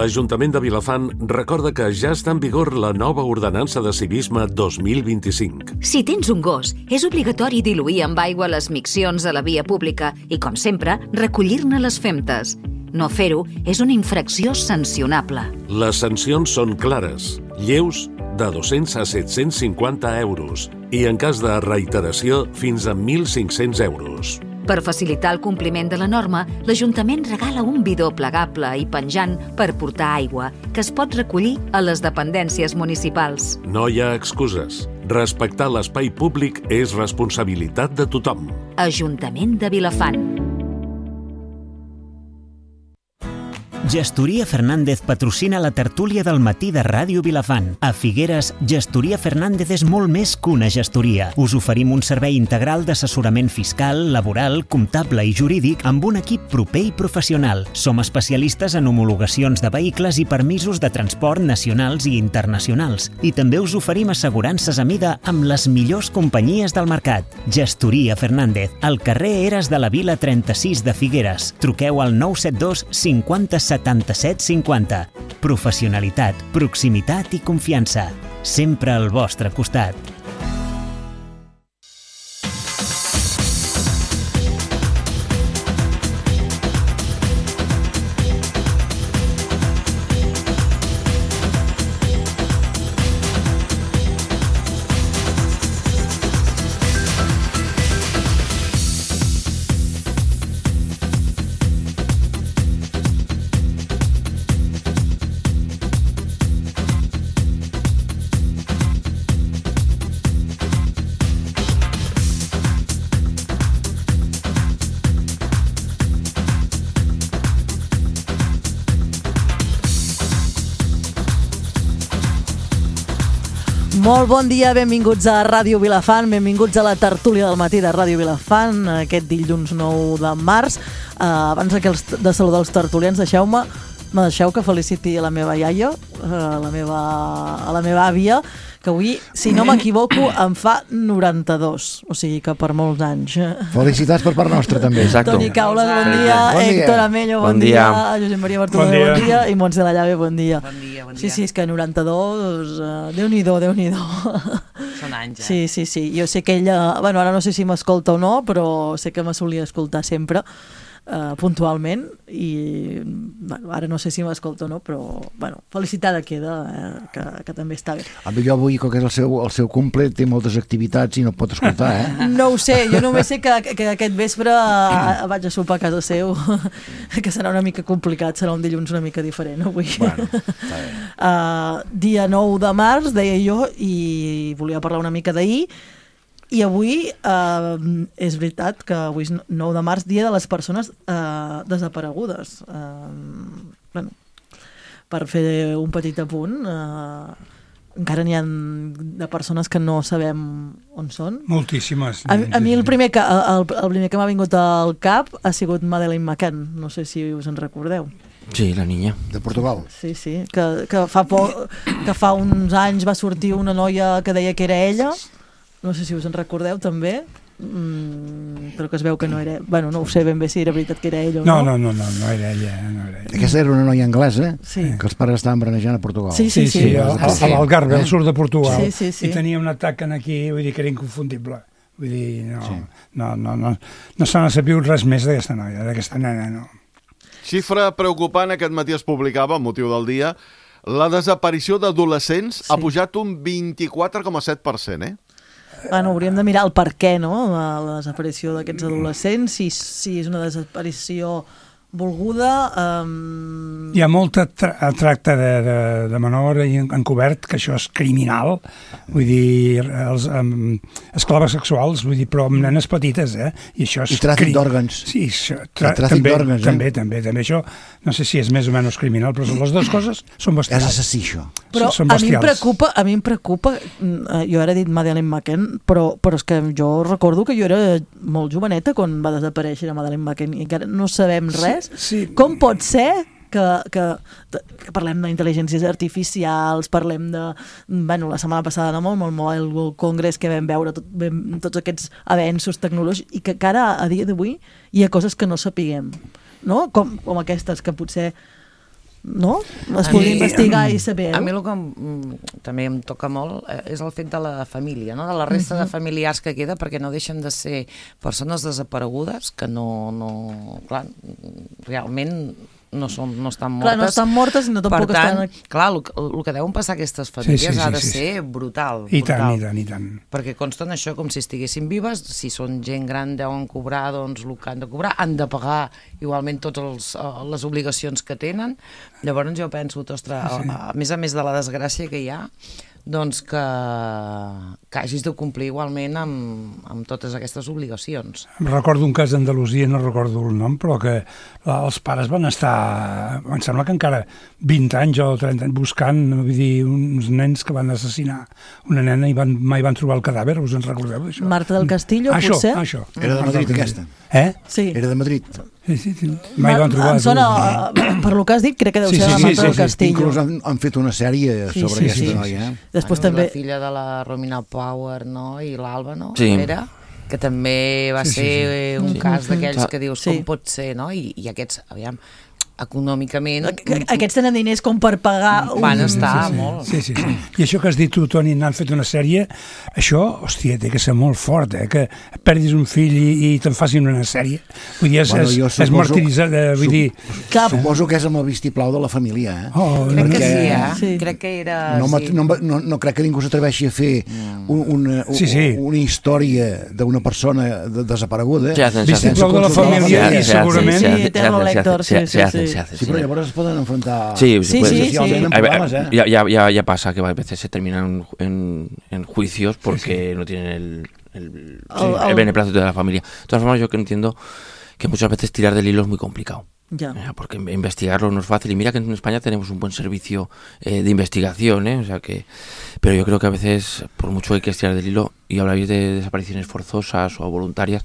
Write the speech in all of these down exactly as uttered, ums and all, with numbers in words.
L'Ajuntament de Vilafant recorda que ja està en vigor la nova ordenança de civisme dos mil vint-i-cinc. Si tens un gos, és obligatori diluir amb aigua les miccions a la via pública i, com sempre, recollir-ne les femtes. No fer-ho és una infracció sancionable. Les sancions són clares, lleus, de dos-cents a set-cents cinquanta euros i, en cas de reiteració, fins a mil cinc-cents euros. Per facilitar el compliment de la norma, l'Ajuntament regala un bidó plegable i penjant per portar aigua, que es pot recollir a les dependències municipals. No hi ha excuses. Respectar l'espai públic és responsabilitat de tothom. Ajuntament de Vilafant. Gestoria Fernández patrocina la tertúlia del matí de Ràdio Vilafant. A Figueres, Gestoria Fernández és molt més que una gestoria. Us oferim un servei integral d'assessorament fiscal, laboral, comptable i jurídic amb un equip proper i professional. Som especialistes en homologacions de vehicles i permisos de transport nacionals i internacionals. I també us oferim assegurances a mida amb les millors companyies del mercat. Gestoria Fernández, al carrer Eres de la Vila trenta-sis de Figueres. Truqueu al nou set dos cinquanta setanta-set cinquanta. Professionalitat, proximitat i confiança. Sempre al vostre costat. Molt bon dia, benvinguts a Ràdio Vilafant, benvinguts a la tertúlia del matí de Ràdio Vilafant, aquest dilluns nou de març. Uh, abans de saludar els tertulians, deixeu-me, me deixeu que feliciti a la meva iaia, a la meva, a la meva àvia, que avui, si no m'equivoco, em fa noranta-dos, o sigui que per molts anys. Felicitats per part nostra, també. Exacto. Toni Caules, bon dia, bon dia. Héctor Amello, bon, bon dia, dia. Josep Maria Bartolomé, bon, bon dia, i Montse de la Llave, bon dia. Bon dia, bon dia. Sí, sí, és que noranta-dos, uh, Déu-n'hi-do, Déu-n'hi-do. Són anys, eh? Sí, sí, sí, jo sé que ella, bueno, ara no sé si m'escolta o no, però sé que me solia escoltar sempre, Uh, puntualment, i bueno, ara no sé si m'escolta o no, però bueno, felicitada queda, eh, que, que també està bé. A mi jo avui, com que és el seu, el seu cumple, té moltes activitats i no pot escoltar, eh? No ho sé, jo només sé que, que aquest vespre uh, vaig a sopar a casa seu, que serà una mica complicat, serà un dilluns una mica diferent avui. Bueno, està bé. Uh, dia nou de març, deia jo, i volia parlar una mica d'ahir. I avui eh, és veritat que avui és nou de març, dia de les persones eh, desaparegudes. Eh, bueno, per fer un petit apunt, eh, encara n'hi ha de persones que no sabem on són. Moltíssimes. A, a mi el primer, que, el, el primer que m'ha vingut al cap ha sigut Madeleine McCann, no sé si us en recordeu. Sí, la niña. De Portugal. Sí, sí, que, que, fa por, que fa uns anys va sortir una noia que deia que era ella. No sé si us en recordeu també, mm, però que es veu que no era... Bueno, no ho sé ben bé si era veritat que era ella o no. No, no, no, no, no era ella. No era ella. Aquesta era una noia anglesa, sí, que els pares estaven brenejant a Portugal. Sí, sí, sí. sí, sí a, a l'Algarve, al sud de Portugal. Sí, sí, sí. I tenia un atac aquí, vull dir que era inconfundible. Vull dir, no, sí. no, no, no, no se n'ha sabut res més d'aquesta noia, d'aquesta nena, no. Xifra preocupant aquest matí es publicava, amb motiu del dia, la desaparició d'adolescents sí. ha pujat un vint-i-quatre coma set per cent, eh? Bueno, hauríem de mirar el per què, no?, la, la desaparició d'aquests adolescents, si, si és una desaparició volguda. Um... Hi ha molta tra tracte de, de, de menor encobert, que això és criminal, vull dir, els um, esclaves sexuals, vull dir, però amb nenes petites, eh? I això és... I tràfic d'òrgans. Sí, això, tra tràfic d'òrgans, eh? També, també, també, això, no sé si és més o menys criminal, però les dues coses són bestials. És assassí, això. Però són a mi em bestials. preocupa, a mi em preocupa, jo ara he dit Madeleine McCann, però, però és que jo recordo que jo era molt joveneta quan va desaparèixer Madeleine McCann i encara no sabem res. Sí, sí. Com pot ser que, que, que parlem d'intel·ligències artificials, parlem de... Bueno, la setmana passada no, amb el Mobile Congress que vam veure tot, vam, tots aquests avenços tecnològics i que encara a dia d'avui hi ha coses que no sapiguem, no? Com, com aquestes que potser no? Es pugui investigar i saber. A mi el que també em toca molt és el fet de la família, no? De la resta de familiars que queda, perquè no deixen de ser persones desaparegudes que no, no clar, realment no, són, no estan mortes. Clar, no estan mortes i no tampoc per tant, estan... Clar, el, el que deuen passar aquestes famílies sí, sí, sí, ha de sí, sí. ser brutal. I brutal. tant, i tant, i tant. Perquè consten això com si estiguessin vives, si són gent gran deuen cobrar doncs el que han de cobrar, han de pagar igualment totes les obligacions que tenen. Llavors jo penso, ostres, sí. a, a més a més de la desgràcia que hi ha, doncs que, que hagis de complir igualment amb, amb totes aquestes obligacions. Recordo un cas d'Andalusia, no recordo el nom, però que els pares van estar, em sembla que encara vint anys o trenta anys buscant, vull dir, uns nens que van assassinar una nena i van, mai van trobar el cadàver, us en recordeu d'això? Marta del Castillo, això, potser? Això, Era de Madrid, aquesta. Eh? Sí. Era de Madrid. Sí, sí, sí. Mai van trobar. Em sona, per lo que has dit, crec que deu Sí, ser sí, la sí, Marta sí, del sí. Castillo. Inclús han, han fet una sèrie Sí, sobre sí, aquesta sí. noia. Eh? Després Bueno, també... La filla de la Romina Power, no? I l'Alba, no? Sí. Era, que també va Sí, sí, ser sí. un Sí. cas d'aquells Sí. que dius, Sí. com pot ser, no? I, i aquests, aviam, econòmicament... Aqu- Aquests tenen diners com per pagar... un- Van estar sí, sí. molt. Sí, sí, sí. I això que has dit tu, Toni, n'han fet una sèrie, això, hòstia, té que ser molt fort, eh? Que perdis un fill i, i te'n facin una sèrie. Vull dir, és, Bueno, jo és, és suposo- martiritzat, eh? Vull Sup- dir... Cap. Suposo que és amb el vistiplau de la família, eh? Oh, Crec que Perquè- sí, eh? Sí. Crec que era... No, sí. sí. no, no, no crec que ningú s'atreveixi a fer un, una, Sí, sí. una història d'una persona de, desapareguda. Se hacen, se hacen. Vistiplau de la Sense família consultar i Se hacen, segurament... se hacen, Sí, Eterno se hacen, Lector, se sí, hacen, sí, se hacen, sí. se hacen, Sí, però llavors es poden enfrontar... Sí, se Sí, puede. sí, Sí, sí. tienen A ver, problemas, ¿eh? ya, ya, ya, ya pasa que a veces se terminan en, en juicios porque no tienen el, el, Sí. el beneplácito de la familia. De todas formas, yo que entiendo que muchas veces tirar del hilo es muy complicado. Ja. Eh, Porque investigarlo no es fácil. Y mira que en España tenemos un buen servicio eh, de investigación, ¿eh? O sea que, pero yo creo que a veces, por mucho que hay que estirar del hilo, y habláis de desapariciones forzosas o voluntarias,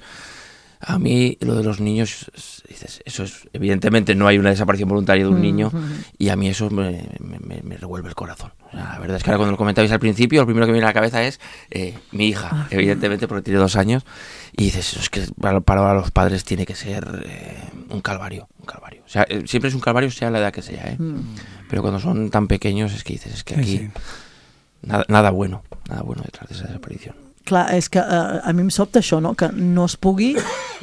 a mí lo de los niños, dices, eso es, evidentemente no hay una desaparición voluntaria de un niño, y a mí eso me, me, me revuelve el corazón. O sea, la verdad es que ahora cuando lo comentabais al principio, lo primero que me viene a la cabeza es eh, mi hija, evidentemente porque tiene dos años, y dices, es que para, para los padres tiene que ser eh, un calvario, un calvario. O sea, eh, siempre es un calvario sea la edad que sea, ¿eh? Pero cuando son tan pequeños es que dices, es que Sí, aquí sí. nada, nada bueno, nada bueno detrás de esa desaparición. Clar, és que uh, a mi em sobta això, no? Que no es pugui,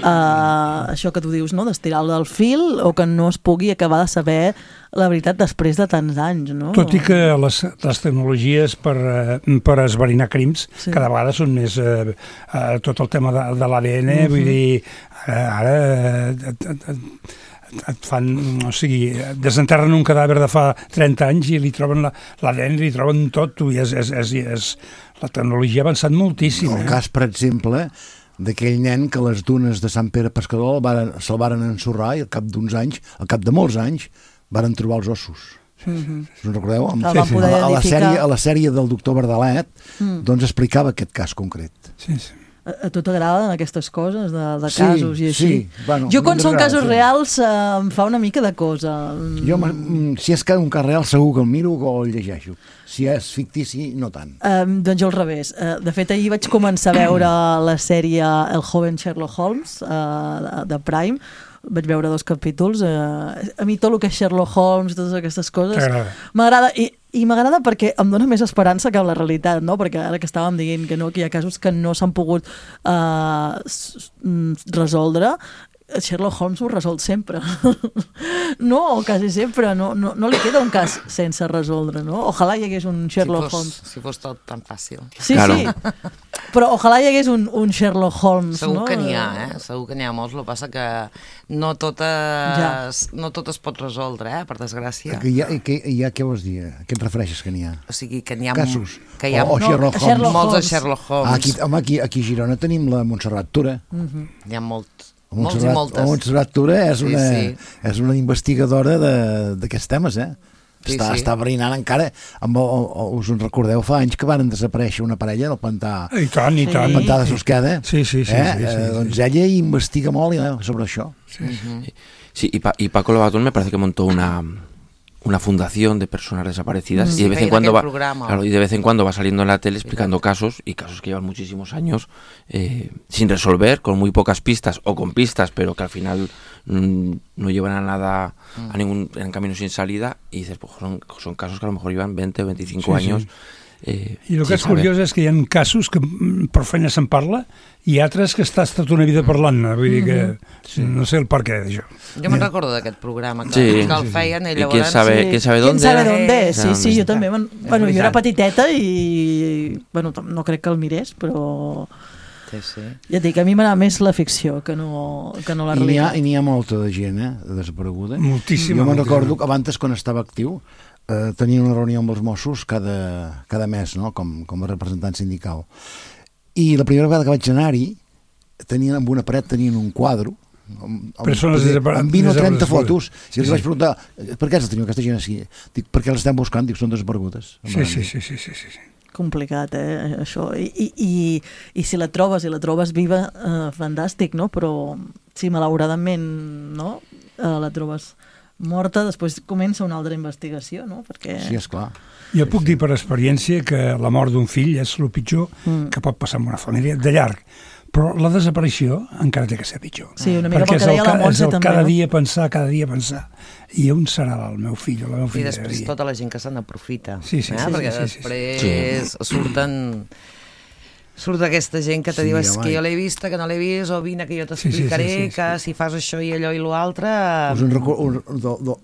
uh, això que tu dius, no? D'estirar-lo del fil, o que no es pugui acabar de saber la veritat després de tants anys, no? Tot i que les, les tecnologies per, eh, per esverinar crims Sí. cada vegada són més eh, eh, tot el tema de, de l'A D N, uh-huh. vull dir, eh, ara eh, et, et, et, et fan, o sigui, desenterren un cadàver de fa trenta anys i li troben l'A D N, li troben tot, i és, és, és, és, la tecnologia ha avançat moltíssim. El Eh? cas, per exemple, d'aquell nen que les dunes de Sant Pere Pescador el varen, se'l varen ensorrar i al cap d'uns anys, al cap de molts anys, varen trobar els ossos. Mhm. Us en recordeu? Amb- El van poder a, la, a, la identificar. sèrie, a la sèrie del doctor Verdalet Mm. doncs explicava aquest cas concret. Sí, sí. A, a tu t'agraden aquestes coses de, de Sí, casos i així? sí, bueno, jo quan són m'agrada, casos sí. reals eh, em fa una mica de cosa. Jo, mm, si és que un cas real, segur que el miro o el llegeixo. Si és fictici, no tant. Um, doncs jo al revés. Uh, de fet, ahir vaig començar a veure la sèrie El joven Sherlock Holmes uh, de Prime. Vaig veure dos capítols. Uh, a mi tot el que és Sherlock Holmes, totes aquestes coses, T'agrada? m'agrada. I, i m'agrada perquè em dona més esperança que la realitat, no? Perquè ara que estàvem dient que no, que hi ha casos que no s'han pogut uh, resoldre, Sherlock Holmes ho resol sempre. No, o quasi sempre. No, no, no li queda un cas sense resoldre, no? Ojalà hi hagués un Sherlock si fos, Holmes. Si fos tot tan fàcil. Sí, Claro. sí. Però ojalà hi hagués un, un Sherlock Holmes, Segur no? que n'hi ha, eh? Segur que n'hi ha molts, el que passa que no totes, Ja. no tot es pot resoldre, eh? Per desgràcia. Que hi ha, que hi ha, què vols dir? A què et refereixes que n'hi ha? O sigui, que n'hi ha... Casos? Que hi ha O, o Sherlock No, Holmes? Sherlock molts de Holmes. Sherlock Ah, Holmes. aquí, home, aquí, aquí a Girona tenim la Montserrat Tura. N'hi ha molt, La molts i Montserrat, moltes. la Montserrat Tura és Sí, una, sí. és una investigadora de- d'aquests temes, eh? Sí, està, sí. està brinant encara. Amb el, el, us en recordeu, fa anys que van desaparèixer una parella del pantà, I tant, i Sí. tant. el pantà de Susqueda. Sí, sí, sí, eh? sí, sí, eh, sí. doncs ella investiga molt eh, sobre això. Sí, sí. Sí, y, pa y Paco Lobatón me parece que montó una, una fundación de personas desaparecidas Mm. y de vez en Sí, cuando va, aquel programa. claro, y de vez en cuando va saliendo en la tele explicando casos y casos que llevan muchísimos años eh, sin resolver, con muy pocas pistas o con pistas, pero que al final mm, no llevan a nada, a ningún en camino sin salida, y dices, pues son, son casos que a lo mejor llevan veinte o veinticinco Sí, sí. años. Eh, I el que sin és saber. curiós és que hi ha casos que mm, per feina se'n parla i altres que estàs tota una vida parlant-ne, vull dir que sí. no sé el per què d'això. Jo me'n recordo d'aquest programa que, Sí. que el feien i I llavors... quién sabe, Sí. quién sabe Quién dónde. sabe dónde, sí, Eh, sí, jo també. Man, bueno, jo era veritat. petiteta i bueno, tam- no crec que el mirés, però Sí, sí. ja et dic, a mi m'agrada més la ficció que no, que no la I n'hi ha, realitat. i n'hi ha molta de gent, eh, desapareguda. Moltíssima, Jo me'n moltíssima. recordo que abans, quan estava actiu, eh, tenia una reunió amb els Mossos cada, cada mes, no?, com, com a representant sindical. I la primera vegada que vaig anar-hi, tenien, amb una paret tenien un quadre amb, amb, Persones desapare- amb vint o trenta desaparegudes. fotos, Sí, i els sí. vaig preguntar, per què els teniu aquesta gent així? Dic, perquè les estem buscant, dic, són desaparegudes. Sí, sí, sí, sí, sí, sí. Complicat, eh, això. I, i, i, i si la trobes, i la trobes viva, eh, fantàstic, no? Però si malauradament, no?, eh, la trobes morta, després comença una altra investigació, no? Perquè... Sí, esclar. Jo puc dir per experiència que la mort d'un fill és el pitjor Mm. que pot passar en una família, de llarg. Però la desaparició encara té que ser pitjor. Sí, una mica Perquè pel que és el, deia la ca- és Montse el també, cada no? dia pensar, cada dia pensar. I on serà el meu fill o la meva I filla? després tota la gent que se n'aprofita. Sí, sí, eh? sí, Perquè sí, sí, sí. després surten... Surt aquesta gent que te Sí, diu és home. que jo l'he vista, que no l'he vist, o vine que jo t'explicaré, Sí, sí, sí, sí, sí. que si fas això i allò i l'altre... Us en recordo un, do, do,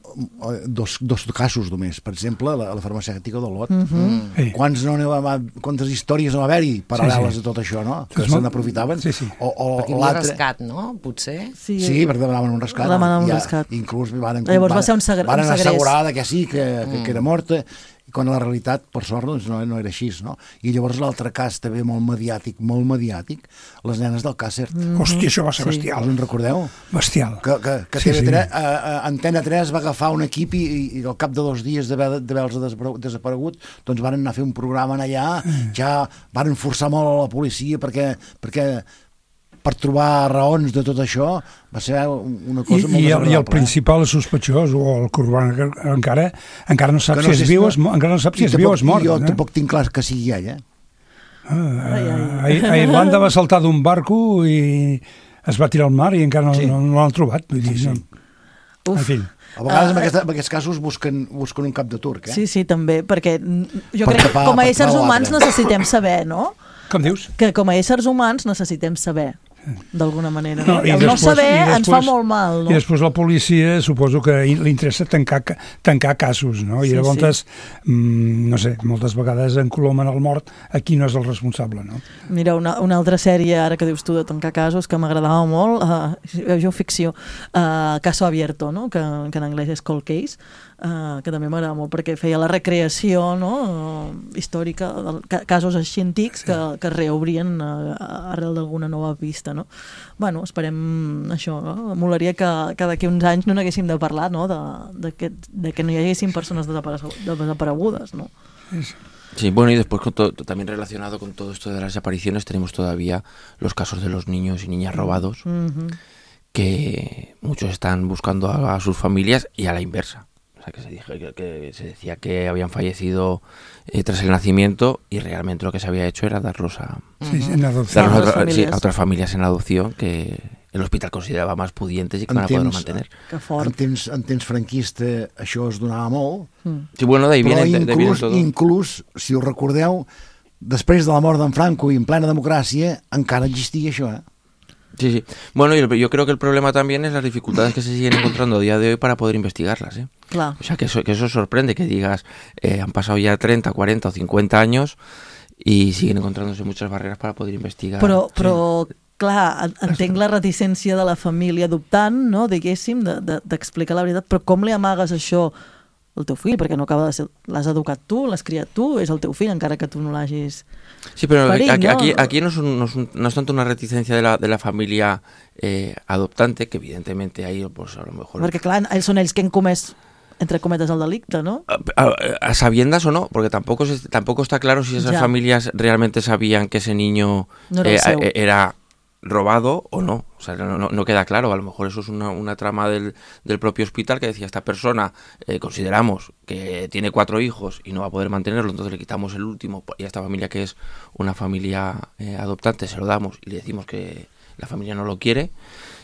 dos, dos casos només. Per exemple, la, la farmacèutica d'Olot. Mm -hmm. Sí. Quants no n'hi va, quantes històries no va haver-hi paral·leles Sí, sí. a tot això, no? Que És se molt- n'aprofitaven. Sí, sí. O, o Perquè hi havia l'altre... rescat, no? Potser. Sí, Sí, perquè demanaven un rescat. Demanaven un Ja, rescat. Inclús van, Llavors va ser un segre- van un segrest. assegurar que sí, que, que, que era morta, i quan la realitat, per sort, doncs no, no era així, no? I llavors l'altre cas també molt mediàtic, molt mediàtic, les nenes del Càcer. Mm. Hòstia, això va ser Sí. bestial. Us en recordeu? Bestial. Que, que, que Sí, sí, sí. sí. Uh, uh, Antena tres va agafar un equip i, i al cap de dos dies d'haver-los desapare- desaparegut, doncs van anar a fer un programa en allà, Mm. ja van forçar molt a la policia perquè, perquè per trobar raons de tot això va ser una I, cosa molt i, el, desagradable. I el principal sospechós, o el corban encara, encara no sap Que si és sé viu o no- és mo- encara no sap si i és viu o és mort. I jo no? tampoc tinc clar que sigui ell, eh? Ah, Ai, ai. a, a Irlanda va saltar d'un barco i es va tirar al mar i encara no, Sí. no, no l'han trobat. Vull dir, Sí, sí. no. En fi. A vegades, Ah, en, aquesta, en aquests casos, busquen, busquen un cap de turc, eh? Sí, sí, també, perquè mm, jo Per crec que tapar- com a per éssers tapar humans l'altre. necessitem saber, no? Com dius? Que com a éssers humans necessitem saber, d'alguna manera. No? No, i I el no després- saber i ens fa després- molt mal, no? I després la policia suposo que li interessa tancar, tancar casos, no? I Sí, llavors, mm, no sé, moltes vegades encolomen el mort a qui no és el responsable, no? Mira, una, una altra sèrie, ara que dius tu de tancar casos, que m'agradava molt, uh, jo ficció, uh, Caso Abierto, no? que, que en anglès és Cold Case, uh, que també m'agrada molt perquè feia la recreació, no? uh, històrica de ca casos així antics que, que es reobrien uh, arrel d'alguna nova pista, no? Bueno, esperem això, no? Molaria que, que d'aquí uns anys no n'haguéssim de parlar, no? De, de, que, de que no hi haguessin persones desaparegudes, no? Sí, bueno, y después con todo, también relacionado con todo esto de las desapariciones tenemos todavía los casos de los niños y niñas robados, Mm-hmm. que muchos están buscando a, a sus familias y a la inversa. O sea, que se, dije, que, que se decía que habían fallecido eh, tras el nacimiento y realmente lo que se había hecho era darlos a, Sí, sí, en adopció. darlos a, otras otra- sí, familias. a otras familias en adopción que el hospital consideraba más pudientes y que En van a poder temps- mantener. Que En fort. temps, en temps franquista això es donava molt, Sí, bueno, de ahí però viene, de, de ahí viene inclús, todo. inclús, si us recordeu, després de la mort d'en Franco i en plena democràcia, encara existia això, eh? Sí, sí. Bueno, y el- yo creo que el problema también es las dificultades que se siguen encontrando a día de hoy para poder investigarlas, ¿eh? Clar. O sea, que eso, que eso sorprende, que digas, eh, han pasado ya treinta, cuarenta o cincuenta años y siguen encontrándose muchas barreras para poder investigar. Però, però clar, en- entenc la reticència de la família adoptant, no, diguéssim, d'explicar de, d'explicar la veritat, però com li amagues això al teu fill? Perquè no acaba de ser... L'has educat tu, l'has criat tu, és el teu fill, encara que tu no l'hagis... Sí, pero Farín, aquí, ¿no? aquí, aquí no, es un- no, es un- no es tanto una reticencia de la, de la familia eh, adoptante, que evidentemente ahí, pues a lo mejor... Perquè, clar, ells són ells que han comès, entre cometes, el delicte, no? A, a- a sabiendas o no, porque tampoco se- tampoco está claro si esas Ya. familias realmente sabían que ese niño No era el eh, seu. eh, era robado o no. O sea, no, no, no queda claro. A lo mejor eso es una, una trama del, del propio hospital que decía, esta persona eh, consideramos que tiene cuatro hijos y no va a poder mantenerlo, entonces le quitamos el último y a esta familia, que es una familia eh, adoptante, se lo damos y le decimos que la familia no lo quiere,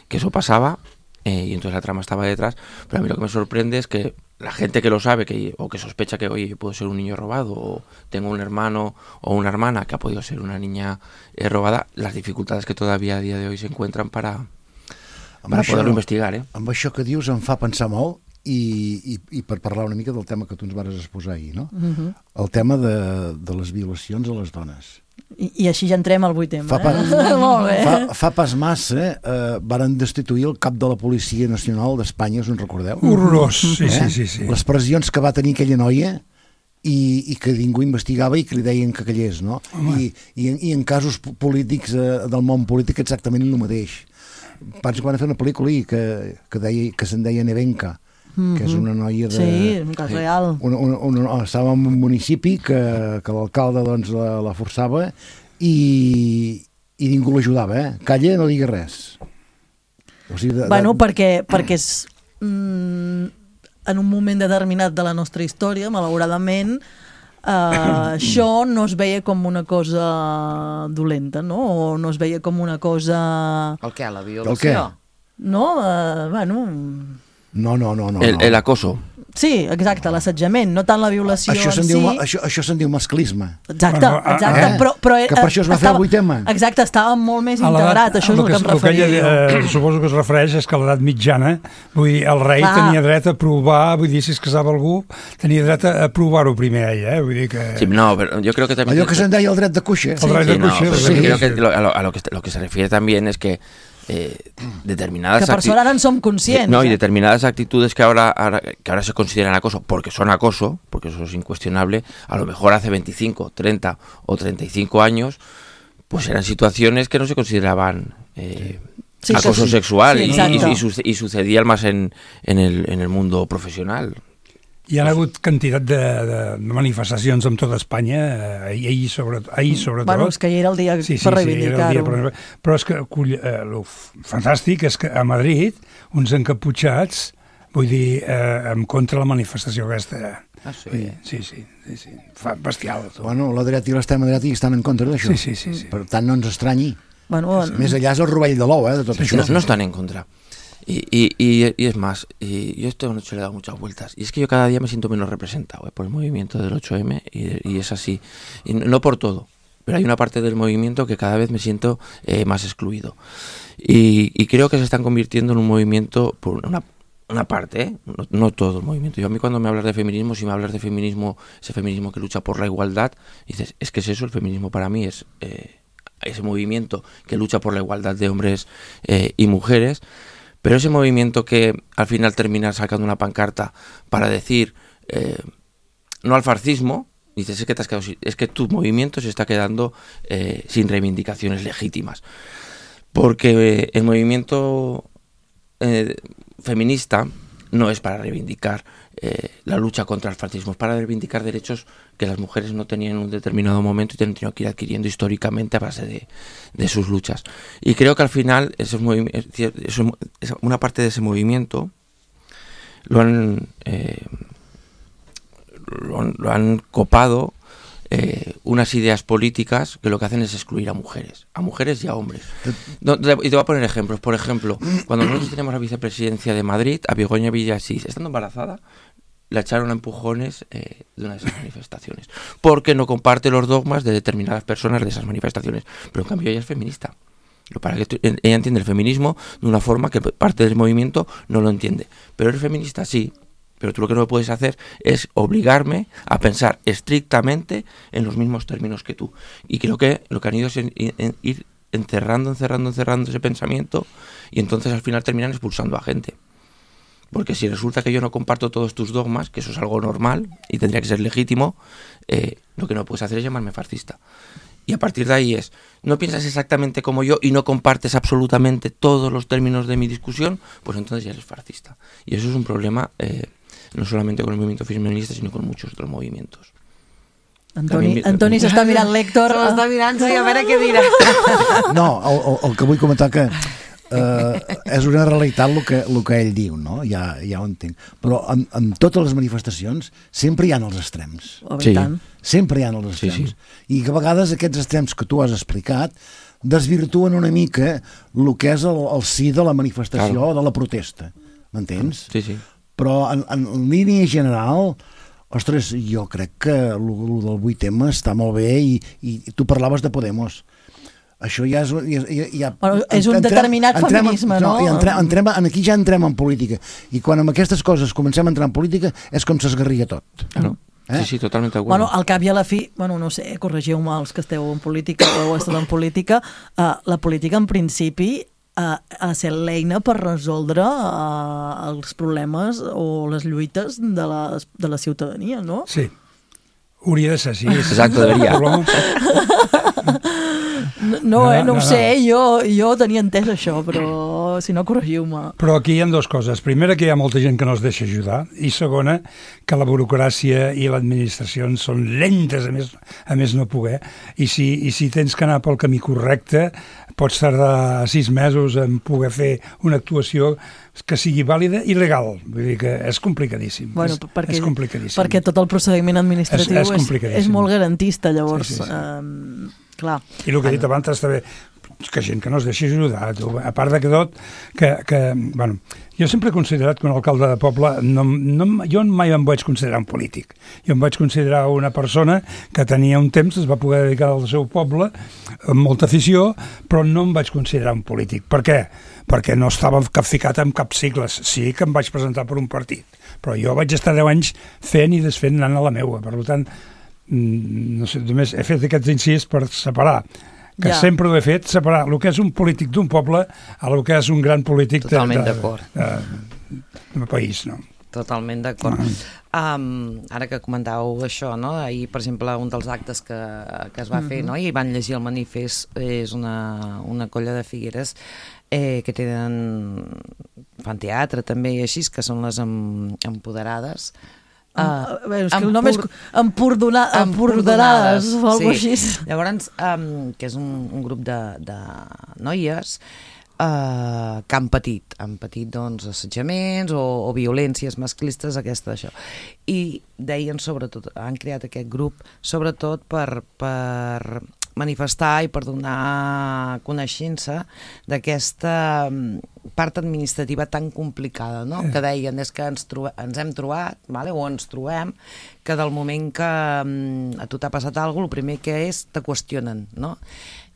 que eso pasaba. Eh, y entonces la trama estaba detrás, pero a mí lo que me sorprende es que la gente que lo sabe que, o que sospecha que, oye, puedo ser un niño robado, o tengo un hermano o una hermana que ha podido ser una niña eh, robada, las dificultades que todavía a día de hoy se encuentran para, para això, poder-lo investigar. Eh? Amb això que dius em fa pensar molt i, i, i per parlar una mica del tema que tu ens vas exposar ahir, no? Uh-huh. El tema de, de les violacions a les dones. I, i així ja entrem al vuit tema. Fa, pa, eh? Molt bé. fa, fa pas massa eh, varen destituir el cap de la Policia Nacional d'Espanya, us en recordeu? Horrorós, sí, eh? sí, sí, sí. Les pressions que va tenir aquella noia i, i que ningú investigava i que li deien que callés, no? I, i, I en casos polítics, eh, del món polític, exactament el mateix. Penso que van fer una pel·lícula i que, que, deia, que se'n deia Nevenka, mm-hmm. que és una noia de... Sí, un cas real. Una, una, una, estava en un municipi que, que l'alcalde doncs, la, la forçava i, i ningú l'ajudava, eh? Calla, no digui res. O sigui, de, bueno, de... perquè, perquè és... Mm, en un moment determinat de la nostra història, malauradament, eh, això no es veia com una cosa dolenta, no? O no es veia com una cosa... El què? La violació? El què? No, eh, bueno... No, no, no. no el, no. el acoso. Sí, exacte, l'assetjament, no tant la violació això en se'n si... diu, això, això se'n diu masclisme. Exacte, Bueno, exacte. eh? Però, però, Que per això es va fer el vuit ema. Exacte, estava molt més A l'edat- integrat, això és el que, que em referia. que ella, eh, suposo que es refereix és que a l'edat mitjana, vull dir, el rei Clar. tenia dret a provar, vull dir, si es casava algú, tenia dret a provar-ho primer ella, eh? Vull dir que... Sí, no, pero yo creo que también... Allò que se'n deia el dret de cuixa. El dret Sí, de no, cuixa, pero sí. creo que lo, a, lo, a lo que lo que se refiere también es que eh, determinadas Que per acti- sort ara en som conscients. no, y eh? determinadas actitudes que ahora, ahora que ahora se consideran acoso porque son acoso, porque eso es incuestionable, a lo mejor hace veinticinco, treinta o treinta y cinco años pues eran situaciones que no se consideraban eh, Sí, acoso sí. sexual Sí, y, exacto. y, y, suce- y sucedía más en, en, el, en el mundo profesional. Hi ha hagut quantitat de, de manifestacions en tota Espanya, eh, ahir, ahir, sobre, ahir sobretot. Bueno, és que ahir era el dia sí, sí, per sí, era el dia reivindicar-ho. per- Però és que cull, eh, el fantàstic és que a Madrid uns encaputxats, vull dir, eh, en contra la manifestació aquesta. Ah, sí? Vull dir, sí, sí, sí, sí. Fa bestial. Tot. Bueno, la dreta i l'extrema dreta hi estan en contra d'això. Sí, sí, sí, sí. Per tant, no ens estranyi. Bueno, Més allà és el rovell de l'ou, eh, de tot Sí, això. no, no están en contra. Y, y, y, y es más, y yo esta noche le he dado muchas vueltas. Y es que yo cada día me siento menos representado, ¿eh? Por el movimiento del ocho eme y, y es así. Y no por todo, pero hay una parte del movimiento que cada vez me siento eh, más excluido. Y, y creo que se están convirtiendo en un movimiento, por una, una parte, ¿eh? no, no todo el movimiento. Yo a mí cuando me hablas de feminismo, si me hablas de feminismo, ese feminismo que lucha por la igualdad, dices, es que es eso, el feminismo para mí es eh, ese movimiento que lucha por la igualdad de hombres eh, y mujeres. Pero ese movimiento que al final termina sacando una pancarta para decir eh, no al fascismo, dices, es que, te has quedado sin- es que tu movimiento se está quedando eh, sin reivindicaciones legítimas. Porque eh, el movimiento eh, feminista no es para reivindicar eh, la lucha contra el fascismo, es para reivindicar derechos que las mujeres no tenían en un determinado momento y han tenido que ir adquiriendo históricamente a base de, de sus luchas. Y creo que al final esos movi- es decir, eso- esa- una parte de ese movimiento lo han, eh, lo han, lo han copado eh, unas ideas políticas que lo que hacen es excluir a mujeres, a mujeres y a hombres. No, te- y te voy a poner ejemplos. Por ejemplo, cuando nosotros teníamos la vicepresidencia de Madrid, a Begoña Villasís, estando embarazada, la echaron a empujones eh, de una de esas manifestaciones, porque no comparte los dogmas de determinadas personas de esas manifestaciones. Pero en cambio ella es feminista. Lo para que tú- ella entiende el feminismo de una forma que parte del movimiento no lo entiende. Pero eres feminista, sí. Pero tú lo que no puedes hacer es obligarme a pensar estrictamente en los mismos términos que tú. Y creo que lo que han ido es en- en- ir encerrando, encerrando, encerrando ese pensamiento y entonces al final terminan expulsando a gente. Porque si resulta que yo no comparto todos tus dogmas, que eso es algo normal y tendría que ser legítimo, eh, lo que no puedes hacer es llamarme fascista. Y a partir de ahí es, no piensas exactamente como yo y no compartes absolutamente todos los términos de mi discusión, pues entonces ya eres fascista. Y eso es un problema eh, no solamente con el movimiento feminista, sino con muchos otros movimientos. Antoni, Antoni s'està mirant l'Héctor. Se l'està mirant, sí, a veure què dirà. No, el, el, el que vull comentar que eh, és una realitat el que, el que ell diu, no? Ja, ja ho entenc. Però en, en totes les manifestacions sempre hi ha els extrems. Oh, sí. Sempre hi ha els extrems. Sí, sí. I que a vegades aquests extrems que tu has explicat desvirtuen una mica el que és el, el sí de la manifestació o claro. de la protesta. M'entens? Sí, sí. Però en, en línia general... Ostres, jo crec que el, el del vuit ema està molt bé i, i tu parlaves de Podemos. Això ja és... Ja, ja, bueno, és un entrem, determinat entrem, feminisme, no? no entrem, entrem, aquí ja entrem en política. I quan amb aquestes coses comencem a entrar en política és com s'esgarria tot. Claro. Eh? Sí, sí, totalment d'acord. Bueno, al cap i a la fi, bueno, no sé, corregiu-me els que esteu en política o heu estat en política, uh, la política en principi Uh, a ser l'eina per resoldre uh, els problemes o les lluites de la, de la ciutadania, no? Sí. Hauria de ser així. Exacte, deberia. No, no, eh, no, no ho no, sé, no. Jo, jo tenia entès això, però si no, corregiu-me. Però aquí hi ha dues coses. Primera, que hi ha molta gent que no es deixa ajudar, i segona, que la burocràcia i l'administració són lentes, a més, a més no poder, i si, i si tens que anar pel camí correcte, pots tardar sis mesos en poder fer una actuació que sigui vàlida i legal. Vull dir que és complicadíssim. Bueno, és, perquè, és complicadíssim. Perquè tot el procediment administratiu és, és, és, és molt garantista, llavors... Sí, sí, sí. Um, clar. I el que he dit abans està bé, que gent que no es deixi ajudar, tu. A part de que tot, que, que, bueno, jo sempre he considerat que un alcalde de poble, no, no, jo mai em vaig considerar un polític, jo em vaig considerar una persona que tenia un temps, es va poder dedicar al seu poble, amb molta afició, però no em vaig considerar un polític. Per què? Perquè no estava capficat en cap sigles, sí que em vaig presentar per un partit, però jo vaig estar deu anys fent i desfent anant a la meua, per tant, no sé, només he fet aquests incís per separar, que ja. sempre ho he fet, separar el que és un polític d'un poble a el que és un gran polític Totalment de, d'acord. de, de, de país, no? Totalment d'acord. Ah. Um, ara que comentàveu això, no? Ahir, per exemple, un dels actes que, que es va mm-hmm. fer, no? I van llegir el manifest, és una, una colla de Figueres eh, que tenen, fan teatre també i així, que són les em, empoderades. Uh, uh, és que el nom és Empordona, Empordanades o alguna cosa sí. així. Llavors, um, que és un, un grup de, de noies uh, que han patit, han patit doncs, assetjaments o, o violències masclistes, aquesta això. I deien sobretot, han creat aquest grup sobretot per, per manifestar i per donar coneixença d'aquesta part administrativa tan complicada, no? Que deien, és que ens, trobe, ens hem trobat, vale? O ens trobem, que del moment que um, a tu t'ha passat alguna cosa, el primer que és, te qüestionen, no?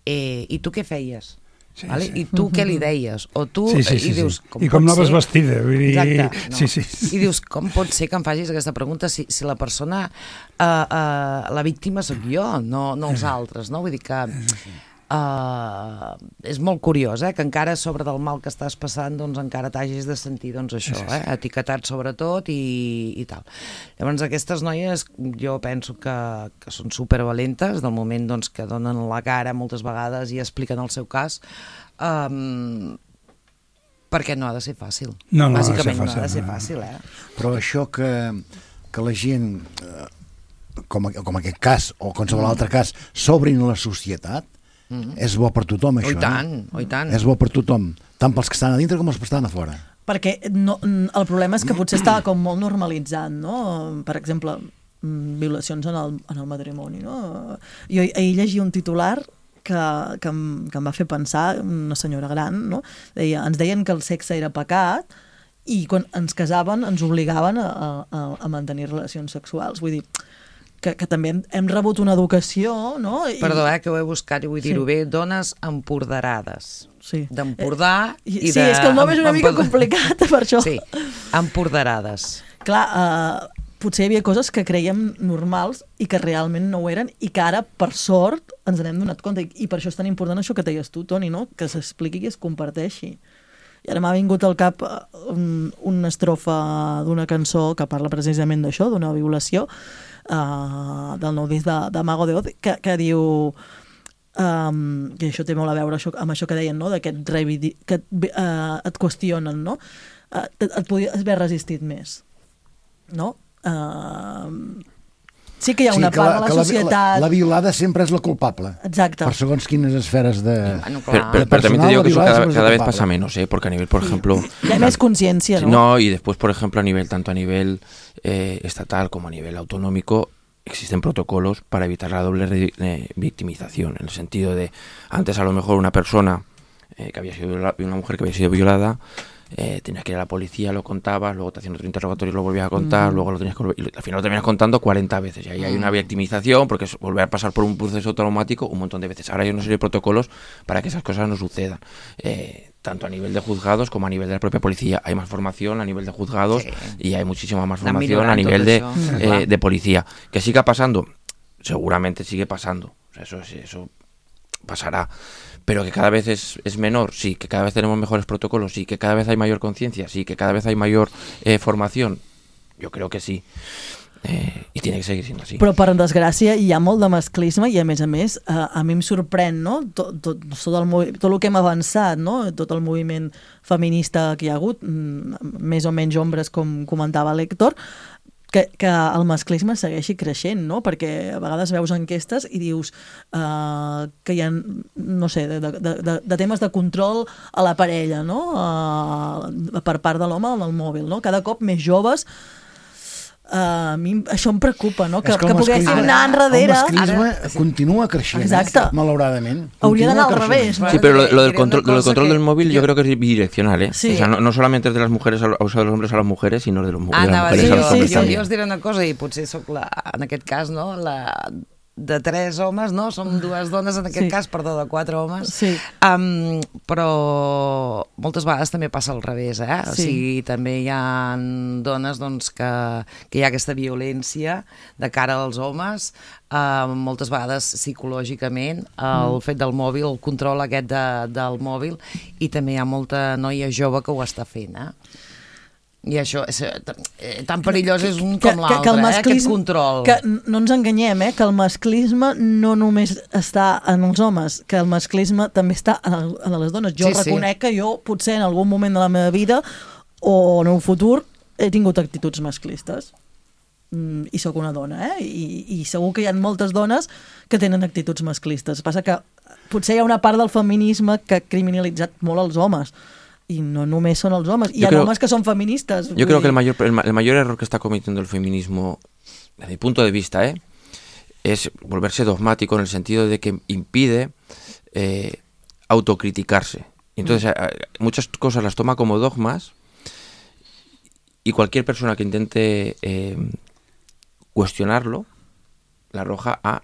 Eh, I tu què feies? Sí, vale? Sí. I tu què li deies? O tu, sí, sí, sí, i dius, com I com anaves vestida? Vull dir... Exacte. No. Sí, sí, sí. I dius, com pot ser que em facis aquesta pregunta si, si la persona, uh, uh, la víctima sóc jo, no, no els altres, no? Vull dir que uh, és molt curiós, eh? Que encara sobre del mal que estàs passant, doncs encara t'hagis de sentir, doncs això, eh? Etiquetat sobretot i, i tal. Llavors aquestes noies jo penso que, que són supervalentes del moment doncs, que donen la cara moltes vegades i expliquen el seu cas, um, perquè no ha de ser fàcil. No, no Bàsicament ha de ser fàcil, no ha de ser no. fàcil, eh? Però això que, que la gent, com, com aquest cas o qualsevol mm. altre cas, s'obrin a la societat, mm. és bo per tothom, això. Oh, i tant, eh? oh, i tant. És bo per tothom, tant pels que estan a dintre com els que estan a fora. Perquè no, el problema és que potser estava com molt normalitzat, no? Per exemple, violacions en el, en el matrimoni, no? Jo ahir llegia un titular que, que, em, que em va fer pensar, una senyora gran, no? Deia, ens deien que el sexe era pecat i quan ens casaven ens obligaven a, a, a mantenir relacions sexuals. Vull dir, que, que també hem, hem rebut una educació, no? I... Perdó, eh, que ho he buscat i vull dir-ho sí. bé, dones emporderades. Sí. D'Empordà eh, i sí, de... Sí, és que el nom és una mica complicat, per això. Sí, emporderades. Clar, eh, potser hi havia coses que creiem normals i que realment no ho eren i que ara, per sort, ens n'hem donat compte. I, i per això és tan important això que deies tu, Toni, no? Que s'expliqui i es comparteixi. I ara m'ha vingut al cap un, una estrofa d'una cançó que parla precisament d'això, d'una violació, uh, del nou disc de, de Mago de Oz, que, que diu... Um, i això té molt a veure això, amb això que deien, no? D'aquest revidi... que uh, et qüestionen, no? Uh, et, et podies haver resistit més, no? Uh, Sí que hi ha una sí, part la, de la que societat... La, la violada sempre és la culpable. Exacte. Per segons quines esferes de... Bueno, pero, pero, pero también te digo que eso cada, cada vez pasa menos, ¿eh? Porque a nivel, por ejemplo... Hi ha més consciència, no? No, y después, por ejemplo, a nivel tanto a nivel eh, estatal como a nivel autonómico, existen protocolos para evitar la doble re, eh, victimización, en el sentido de, antes a lo mejor una persona eh, que había sido violada, una mujer que había sido violada, eh, tenías que ir a la policía, lo contabas, luego te hacían otro interrogatorio y lo volvías a contar, mm. luego lo tenías que volver, y al final lo terminas contando cuarenta veces, y ahí hay una victimización, porque es volver a pasar por un proceso traumático un montón de veces. Ahora hay una serie de protocolos para que esas cosas no sucedan. Eh, tanto a nivel de juzgados como a nivel de la propia policía. Hay más formación a nivel de juzgados sí. y hay muchísima más formación a nivel de, eh, de policía. Que siga pasando, seguramente sigue pasando, o sea, eso, eso pasará, pero que cada vez es, es menor, sí, que cada vez tenemos mejores protocolos, sí, que cada vez hay mayor conciencia, sí, que cada vez hay mayor eh, formación, yo creo que sí. Eh, i tiene que seguir sent així. Però per desgràcia hi ha molt de masclisme i a més a més a, a mi em sorprèn, no? tot, tot, tot, el, tot el que hem avançat, no? Tot el moviment feminista que hi ha hagut, més o menys ombres com comentava l'Héctor, que, que el masclisme segueixi creixent, no? Perquè a vegades veus enquestes i dius uh, que hi ha, no sé, de, de, de, de temes de control a la parella, no? Uh, per part de l'home en el mòbil, no? Cada cop més joves. Uh, a mi això em preocupa, no? Que, que, que poguéssim anar enrere. El masclisme ara... continua creixent, exacte. Malauradament. Hauria d'anar al revés. Sí, pero lo, lo, del, control, lo del control que... del móvil yo creo que es bidireccional, ¿eh? Sí. O sea, no, no solamente es de las mujeres, a, o sea, de los hombres a las mujeres, sino de, los, ah, de las mujeres sí, a los hombres sí, también. Jo us diré una cosa, i potser soc la, en aquest cas, no, la... de tres homes, no? Som dues dones, en aquest sí. cas, perdó, de quatre homes. Sí. Um, però moltes vegades també passa al revés, eh? Sí. O sigui, també hi ha dones doncs, que, que hi ha aquesta violència de cara als homes, uh, moltes vegades psicològicament, el mm. fet del mòbil, el control aquest de, del mòbil, i també hi ha molta noia jove que ho està fent, eh? I això, és, tan perillós és un com l'altre, eh? Aquest control. Que no ens enganyem, eh? Que el masclisme no només està en els homes, que el masclisme també està en, el, en les dones. Jo sí, reconec sí. que jo potser en algun moment de la meva vida o en un futur he tingut actituds masclistes. Mm, i sóc una dona, eh? I, i segur que hi ha moltes dones que tenen actituds masclistes. Passa que potser hi ha una part del feminisme que ha criminalitzat molt els homes. Y no només son los hombres. Y hay hombres que son feministas. Yo creo que el mayor, el, el mayor error que está cometiendo el feminismo, desde mi punto de vista, ¿eh? es volverse dogmático en el sentido de que impide eh, autocriticarse. Entonces, mm. muchas cosas las toma como dogmas y cualquier persona que intente eh, cuestionarlo la arroja a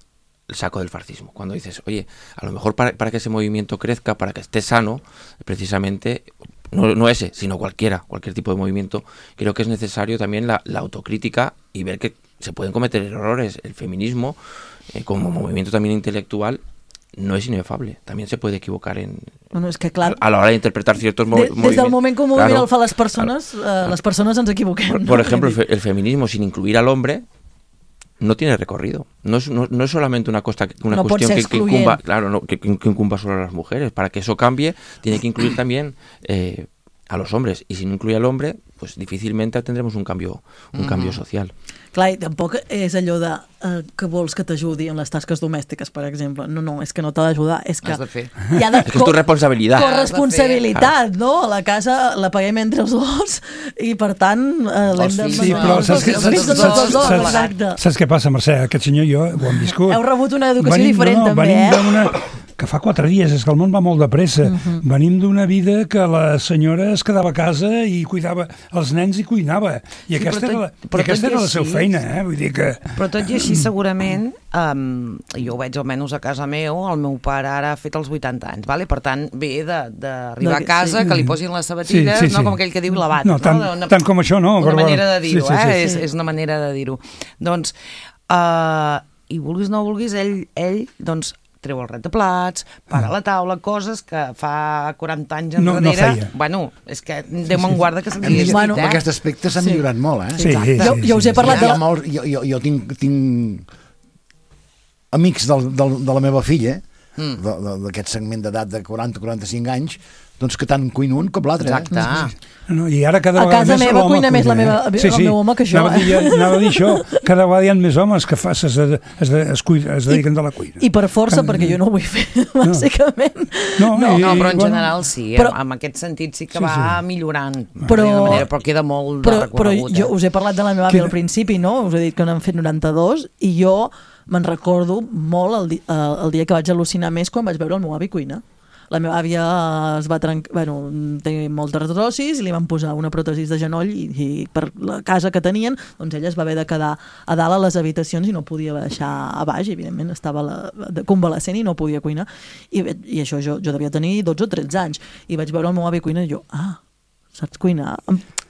el saco del fascismo. Cuando dices, oye, a lo mejor para, para que ese movimiento crezca, para que esté sano, precisamente, no, no ese, sino cualquiera, cualquier tipo de movimiento, creo que es necesario también la, la autocrítica y ver que se pueden cometer errores. El feminismo, eh, como movimiento también intelectual, no es inefable. También se puede equivocar en, bueno, és que, clar, a, a la hora de interpretar ciertos mo de, movimientos. Des del moment que un moviment claro, el fa les persones, claro, eh, les persones ens equivoquem. Por, no? por ejemplo, el, fe, el feminismo sin incluir al hombre no tiene recorrido. No es, no, no es solamente una, costa, una no cuestión que, que incumba, claro, no, que, que incumba solo a las mujeres. Para que eso cambie, tiene que incluir también eh, a los hombres. Y si no incluye al hombre, pues difícilmente tendremos un cambio, un uh-huh. cambio social. Clar, i tampoc és allò de uh, que vols que t'ajudi en les tasques domèstiques, per exemple. No, no, és que no t'ha d'ajudar, és que... Has de fer. Hi ha de és que és tu responsabilitat. Corresponsabilitat, no? La casa la paguem entre els dos i, per tant, uh, l'hem de... Sí, però saps, que, saps, saps, saps, saps què passa, Mercè? Aquest senyor i jo ho hem viscut. Heu rebut una educació venim, diferent, no, també, eh? Venim que fa quatre dies, és que el món va molt de pressa. Uh-huh. Venim d'una vida que la senyora es quedava a casa i cuidava els nens i cuinava. I sí, aquesta tot, era, la, i aquesta era la seva feina, eh? Vull dir que... Però tot i així, segurament, um, jo ho veig almenys a casa meu, el meu pare ara ha fet els vuitanta anys, vale? Per tant, ve d'arribar a casa, sí. que li posin les sabatilles, sí, sí, sí. no com aquell que diu lavat. No, tant, no? Una, tant com això, no. Una però, manera de dir-ho, sí, sí, sí, eh? sí. És, és una manera de dir-ho. Doncs, uh, i vulguis no vulguis, ell, ell doncs, treu el rentaplats, para la taula, coses que fa quaranta anys enrere... No, no feia. Bueno, és que Déu me'n guarda que s'havia dit, bueno, eh? En aquest aspecte s'ha sí. millorat molt, eh? Sí, sí, jo, jo us he parlat sí, de... Molt, jo, jo, jo tinc, tinc amics del, del, de la meva filla, mm. d'aquest segment d'edat de quaranta a quaranta-cinc anys, doncs que tant cuina un com l'altre. Exacte. Eh? No, i ara cada a vegada casa més meva l'home cuina més la meva, sí, sí. el meu home que jo. Anava a dir, anava a dir això, cada vegada hi ha més homes que fa, es, es, es, es, cuida, es dediquen de la cuina. I per força, que, perquè jo no ho vull fer, no. bàsicament. No, no, i, no però en bueno, general sí, però, en aquest sentit sí que sí, va sí. millorant, però, manera, però queda molt però, de recorregut. Però jo us he parlat de la meva àvia al principi, no? Us he dit que n'han fet noranta-dos, i jo me'n recordo molt el, di el dia que vaig al·lucinar més quan vaig veure el meu avi cuinar. La meva àvia es va trencar, bueno, té moltes artrosis i li van posar una pròtesi de genoll i, i per la casa que tenien, doncs ella es va haver de quedar a dalt a les habitacions i no podia baixar a baix, i evidentment estava la, de convalescent i no podia cuinar. I, i això jo, jo devia tenir dotze o tretze anys i vaig veure el meu avi cuinar i jo, ah, saps cuinar?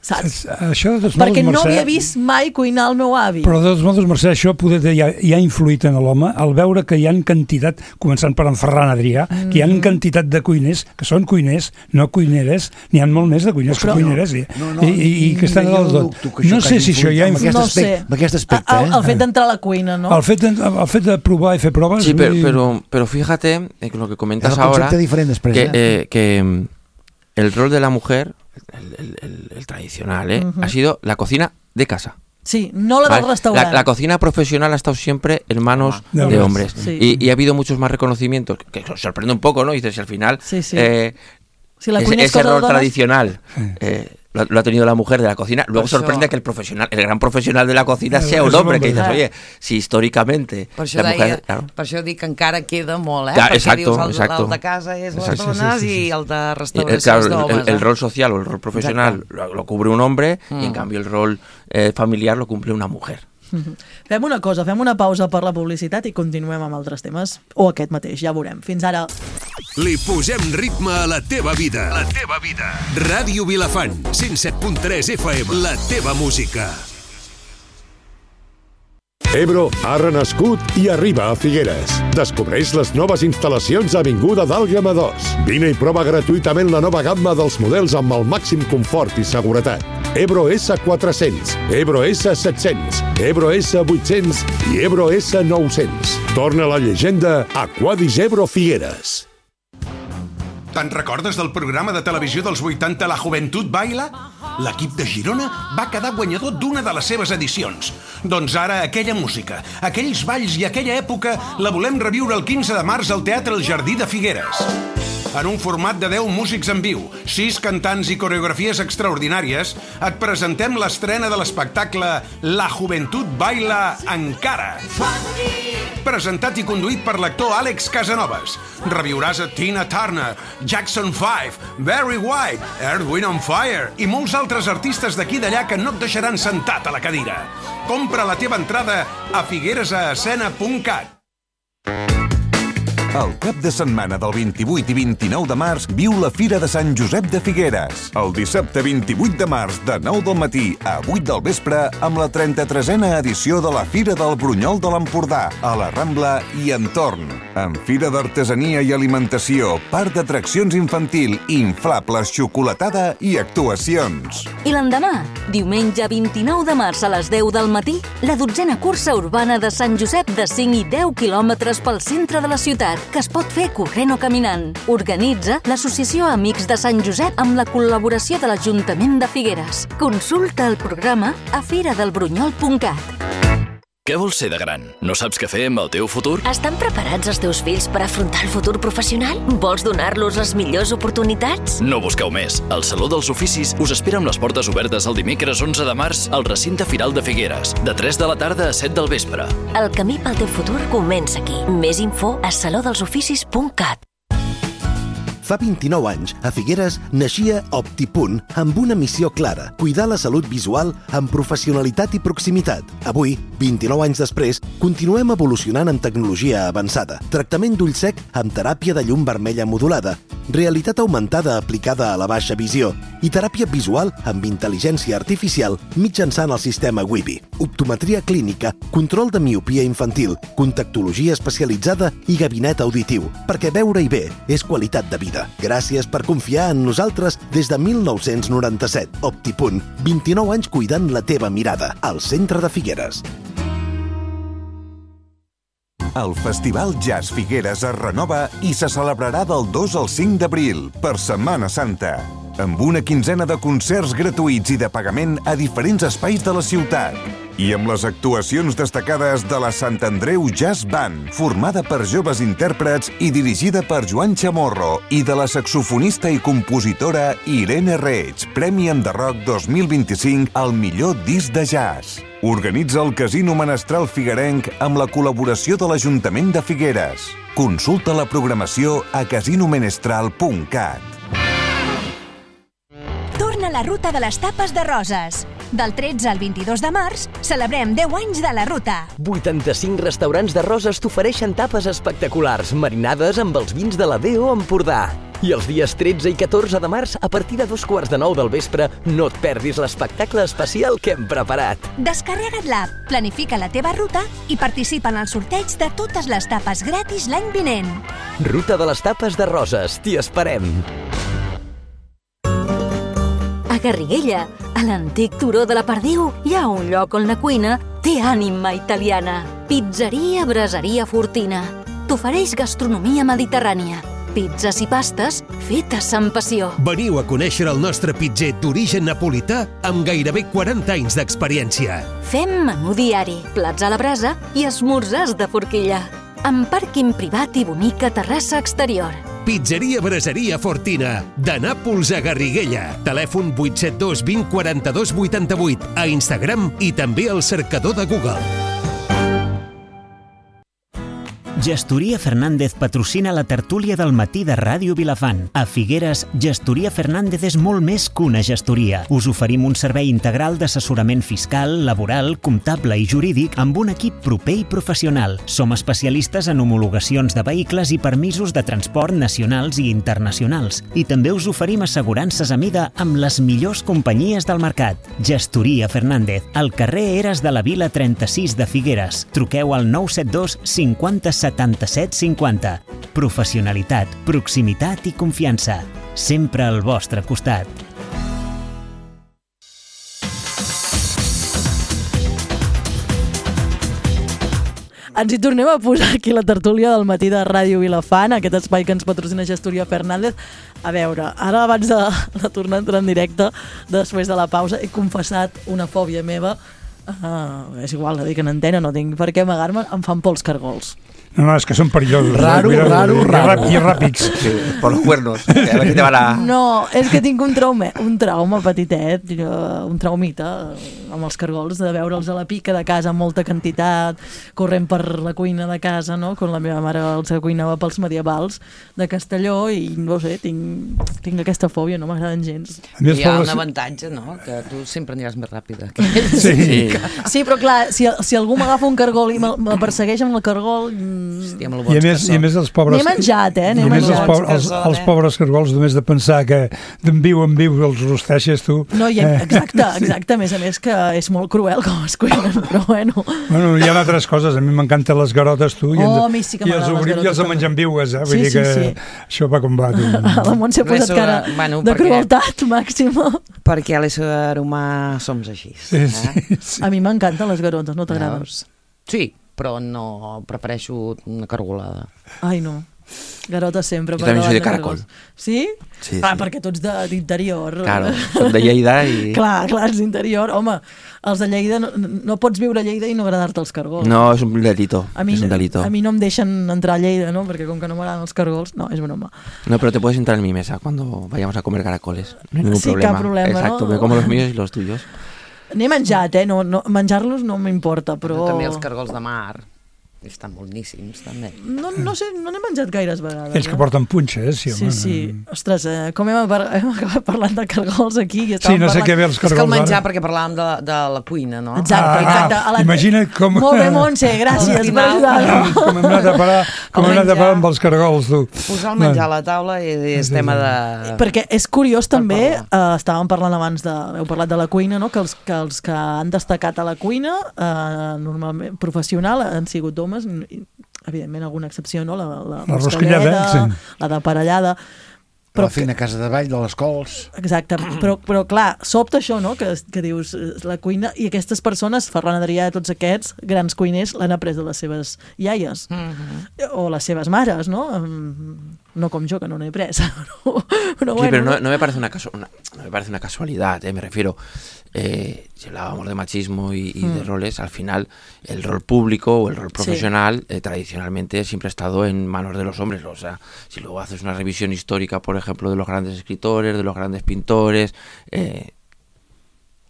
Saps? Això, de tots Perquè modos, no Mercè, havia vist mai cuinar el meu avi. Però de tots modos, Mercè, això poder, ja, ja ha influït en l'home al veure que hi ha quantitat, començant per en Ferran Adrià, mm. que hi ha quantitat de cuiners que són cuiners, no cuineres, n'hi ha molt més de cuiners però, que cuineres, i, no, no, i, i, i que estan al tot. No sé si això ja ha influït. No sé. Amb aquest aspecte, el, el fet d'entrar a la cuina, ¿no? El fet de, el fet de provar i fer proves... Sí, pero, pero, pero fíjate eh, lo que comentas ahora, després, que, eh? Eh, que el rol de la mujer, el, el, el, el tradicional, ¿eh? Uh-huh. ha sido la cocina de casa. Sí, no la del ¿vale? restaurante. La, la cocina profesional ha estado siempre en manos ah, de, de hombres. Sí. Y, y ha habido muchos más reconocimientos, que, que sorprende un poco, ¿no? Y dices, si al final, sí, sí. Eh, si la ese, ese rol tradicional sí. eh, lo, lo ha tenido la mujer de la cocina. Luego per sorprende això... que el profesional, el gran profesional de la cocina claro, sea un hombre, que dices, claro. oye, si históricamente per això, la deia, mujer... Claro. per això dic que encara queda molt, eh? Ja, perquè exacto, dius, el, exacto. el de casa és les Exacto. dones sí, sí, sí, sí. i el de Y, restauració eh, claro, és d'homes. el, el rol social o el rol profesional lo, lo cubre un hombre mm. y en cambio el rol eh, familiar lo cumple una mujer. Fem una cosa, fem una pausa per la publicitat i continuem amb altres temes, o aquest mateix, ja veurem. Fins ara. Li posem ritme a la teva vida. La teva vida. Ràdio Vilafant, cent set punt tres F M. La teva música. Ebro ha renascut i arriba a Figueres. Descobreix les noves instal·lacions a Avinguda d'Àlguema dos. Vine i prova gratuïtament la nova gamma dels models amb el màxim confort i seguretat. Ebro S quatre-cents, Ebro S set-cents, Ebro S vuit-cents i Ebro S nou-cents. Torna a la llegenda Aquadis Ebro Figueres. Te'n recordes del programa de televisió dels vuitanta La Joventut Baila? L'equip de Girona va quedar guanyador d'una de les seves edicions. Doncs ara aquella música, aquells balls i aquella època la volem reviure el quinze de març al Teatre El Jardí de Figueres. En un format de deu músics en viu, sis cantants i coreografies extraordinàries, et presentem l'estrena de l'espectacle La Joventut Baila Encara. Presentat i conduït per l'actor Àlex Casanovas. Reviuràs a Tina Turner, Jackson five, Barry White, Earth, Wind and Fire i molts altres artistes d'aquí i d'allà que no et deixaran sentat a la cadira. Compra la teva entrada a figueresaescena punt cat. El cap de setmana del vint-i-vuit i vint-i-nou de març viu la Fira de Sant Josep de Figueres. El dissabte vint-i-vuit de març de nou del matí a vuit del vespre amb la trenta-tresena edició de la Fira del Brunyol de l'Empordà a la Rambla i entorn. Amb fira d'artesania i alimentació, parc d'atraccions infantil, inflables, xocolatada i actuacions. I l'endemà, diumenge vint-i-nou de març a les deu del matí, la dotzena cursa urbana de Sant Josep de cinc i deu quilòmetres pel centre de la ciutat, que es pot fer corrent o caminant. Organitza l'Associació Amics de Sant Josep amb la col·laboració de l'Ajuntament de Figueres. Consulta el programa a firadelbrunyol punt cat. Què vols ser de gran? No saps què fer amb el teu futur? Estan preparats els teus fills per afrontar el futur professional? Vols donar-los les millors oportunitats? No busqueu més. El Saló dels Oficis us espera amb les portes obertes el dimecres onze de març al recinte Firal de Figueres, de tres de la tarda a set del vespre. El camí pel teu futur comença aquí. Més info a saló dels oficis punt cat. Fa vint-i-nou anys, a Figueres, naixia OptiPunt amb una missió clara, cuidar la salut visual amb professionalitat i proximitat. Avui, vint-i-nou anys després, continuem evolucionant en tecnologia avançada. Tractament d'ull sec amb teràpia de llum vermella modulada, realitat augmentada aplicada a la baixa visió i teràpia visual amb intel·ligència artificial mitjançant el sistema Wibi. Optometria clínica, control de miopia infantil, contactologia especialitzada i gabinet auditiu, perquè veure-hi bé és qualitat de vida. Gràcies per confiar en nosaltres des de mil nou-cents noranta-set. OptiPunt, vint-i-nou anys cuidant la teva mirada, al centre de Figueres. El Festival Jazz Figueres es renova i se celebrarà del dos al cinc d'abril, per Setmana Santa, amb una quinzena de concerts gratuïts i de pagament a diferents espais de la ciutat. I amb les actuacions destacades de la Sant Andreu Jazz Band, formada per joves intèrprets i dirigida per Joan Chamorro, i de la saxofonista i compositora Irene Reig, Premi Enderroc dos mil vint-i-cinc al millor disc de jazz. Organitza el Casino Menestral Figuerenc amb la col·laboració de l'Ajuntament de Figueres. Consulta la programació a casinomenestral punt cat. Torna la ruta de les tapes de Roses. Del tretze al vint-i-dos de març celebrem deu anys de la ruta. vuitanta-cinc restaurants de Roses t'ofereixen tapes espectaculars, marinades amb els vins de la D O Empordà. I els dies tretze i catorze de març, a partir de dos quarts de nou del vespre, no et perdis l'espectacle especial que hem preparat. Descarrega't l'app, planifica la teva ruta i participa en el sorteig de totes les tapes gratis l'any vinent. Ruta de les tapes de Roses, t'hi esperem. A Garriguella, a l'antic turó de la Perdiu, hi ha un lloc on la cuina té ànima italiana. Pizzeria Braseria Fortina. T'ofereix gastronomia mediterrània. Pizzas i pastes fetes amb passió. Veniu a conèixer el nostre pitzer d'origen napolità amb gairebé quaranta anys d'experiència. Fem menú diari, plats a la brasa i esmorzars de forquilla. Amb pàrquing privat i bonica terrassa exterior. Pizzeria Braseria Fortina, de Nàpols a Garriguella. Telèfon vuit set dos vint quaranta-dos vuitanta-vuit, a Instagram i també al cercador de Google. Gestoria Fernández patrocina la tertúlia del matí de Ràdio Vilafant. A Figueres, Gestoria Fernández és molt més que una gestoria. Us oferim un servei integral d'assessorament fiscal, laboral, comptable i jurídic amb un equip proper i professional. Som especialistes en homologacions de vehicles i permisos de transport nacionals i internacionals. I també us oferim assegurances a mida amb les millors companyies del mercat. Gestoria Fernández, al carrer Eres de la Vila trenta-sis de Figueres. Truqueu al nou set dos cinquanta setanta-set cinquanta. Professionalitat, proximitat i confiança. Sempre al vostre costat. Ens hi tornem a posar aquí la tertúlia del matí de Ràdio Vilafant, aquest espai que ens patrocina Gestoria Fernández. A veure, ara abans de, de tornar a entrar en directe, després de la pausa, he confessat una fòbia meva. Uh, és igual, dic en antena, no tinc per què amagar-me, em fan por els cargols. No, no, és que són perillosos. Raro, Mira, raro, i raro. I ràpids. Sí, por los cuernos. A ver si te van a... No, és que tinc un trauma, un trauma petitet, un traumita amb els cargols, de veure'ls a la pica de casa amb molta quantitat, corrent per la cuina de casa, no? Quan la meva mare els cuinava pels medievals de Castelló i, no sé, tinc, tinc aquesta fòbia, no m'agraden gens. Hi ha un avantatge, no?, que tu sempre aniràs més ràpida. Sí, sí. Sí, però clar, si, si algú m'agafa un cargol i me, me persegueix amb el cargol... Hòstia, amb el I a més, i a més els pobres... N'he menjat, eh? N'he menjat. Els, pobres, els, els pobres cargols, només de pensar que d'en viu en viu els rosteixes, tu... No, i, exacte, exacte. A més a més que és molt cruel com es cuinen, però bueno... Bueno, hi ha altres coses. A mi m'encanten les garotes, tu. Oh, a mi sí que m'agraden les garotes. I els de menjar en viues, eh? Vull sí, dir que sí, sí. això va com va, tu. A la Montse ha posat cara bueno, de crueltat màxima. Perquè a l'ésser humà som així. Sí, eh? sí, sí. A mi m'encanten les garotes, no t'agraden? Sí, però no prefereixo una cargolada. Ai, no. Garotes sempre. Jo també soy de caracol. Sí? Sí, ah, sí. Perquè tu ets d'interior. Claro, soc de Lleida i... Clar, clar, ets d'interior. Home, els de Lleida, no, no pots viure a Lleida i no agradar-te els cargols. No, és un delito. A mi, és un delito. A mi no em deixen entrar a Lleida, no? Perquè com que no m'agraden els cargols, no, és broma. No, pero te puedes entrar en mi mesa cuando vayamos a comer caracoles. No hay ningún sí, problema. Cap problema. Exacto, no? me como los míos y los tuyos. N'he menjat, eh? No, no, menjar-los no m'importa, però... També els cargols de mar. Estan boníssims, també. No, no sé, no n'he menjat gaires vegades. Ells que porten punxa, eh? Sí, sí, home. sí. Ostres, eh, com hem, hem acabat parlant de cargols aquí? I sí, no sé parlant... què ve els cargols. És que el menjar, ara. perquè parlàvem de, de la cuina, no? Exacte, ah, exacte. Ah, imagina't com... Molt bé, Montse, gràcies per ajudar-nos. Com hem anat a parar, com hem anat a parar amb els cargols, tu. Posar el menjar a la taula i és tema de... Perquè és curiós també, eh, estàvem parlant abans de... Heu parlat de la cuina, no? Que els que, els que han destacat a la cuina, eh, normalment professional, han sigut homes, i, evidentment alguna excepció, no? La, la, la rosquillada, sí. La de parellada. Però, la feina a casa de ball, de les cols... Exacte, però, però clar, sobta això, no?, que, que dius, la cuina, i aquestes persones, Ferran Adrià, tots aquests grans cuiners, l'han après de les seves iaies, mm-hmm. o les seves mares, no? No com jo, que no n'he pres. Pero, pero sí, bueno, pero no, no, me parece una casu una, no me parece una casualidad, ¿eh? Me refiero, eh, si hablábamos de machismo y, y mm. de roles, al final el rol público o el rol profesional sí. eh, tradicionalmente siempre ha estado en manos de los hombres. O sea, si luego haces una revisión histórica, por ejemplo, de los grandes escritores, de los grandes pintores, eh,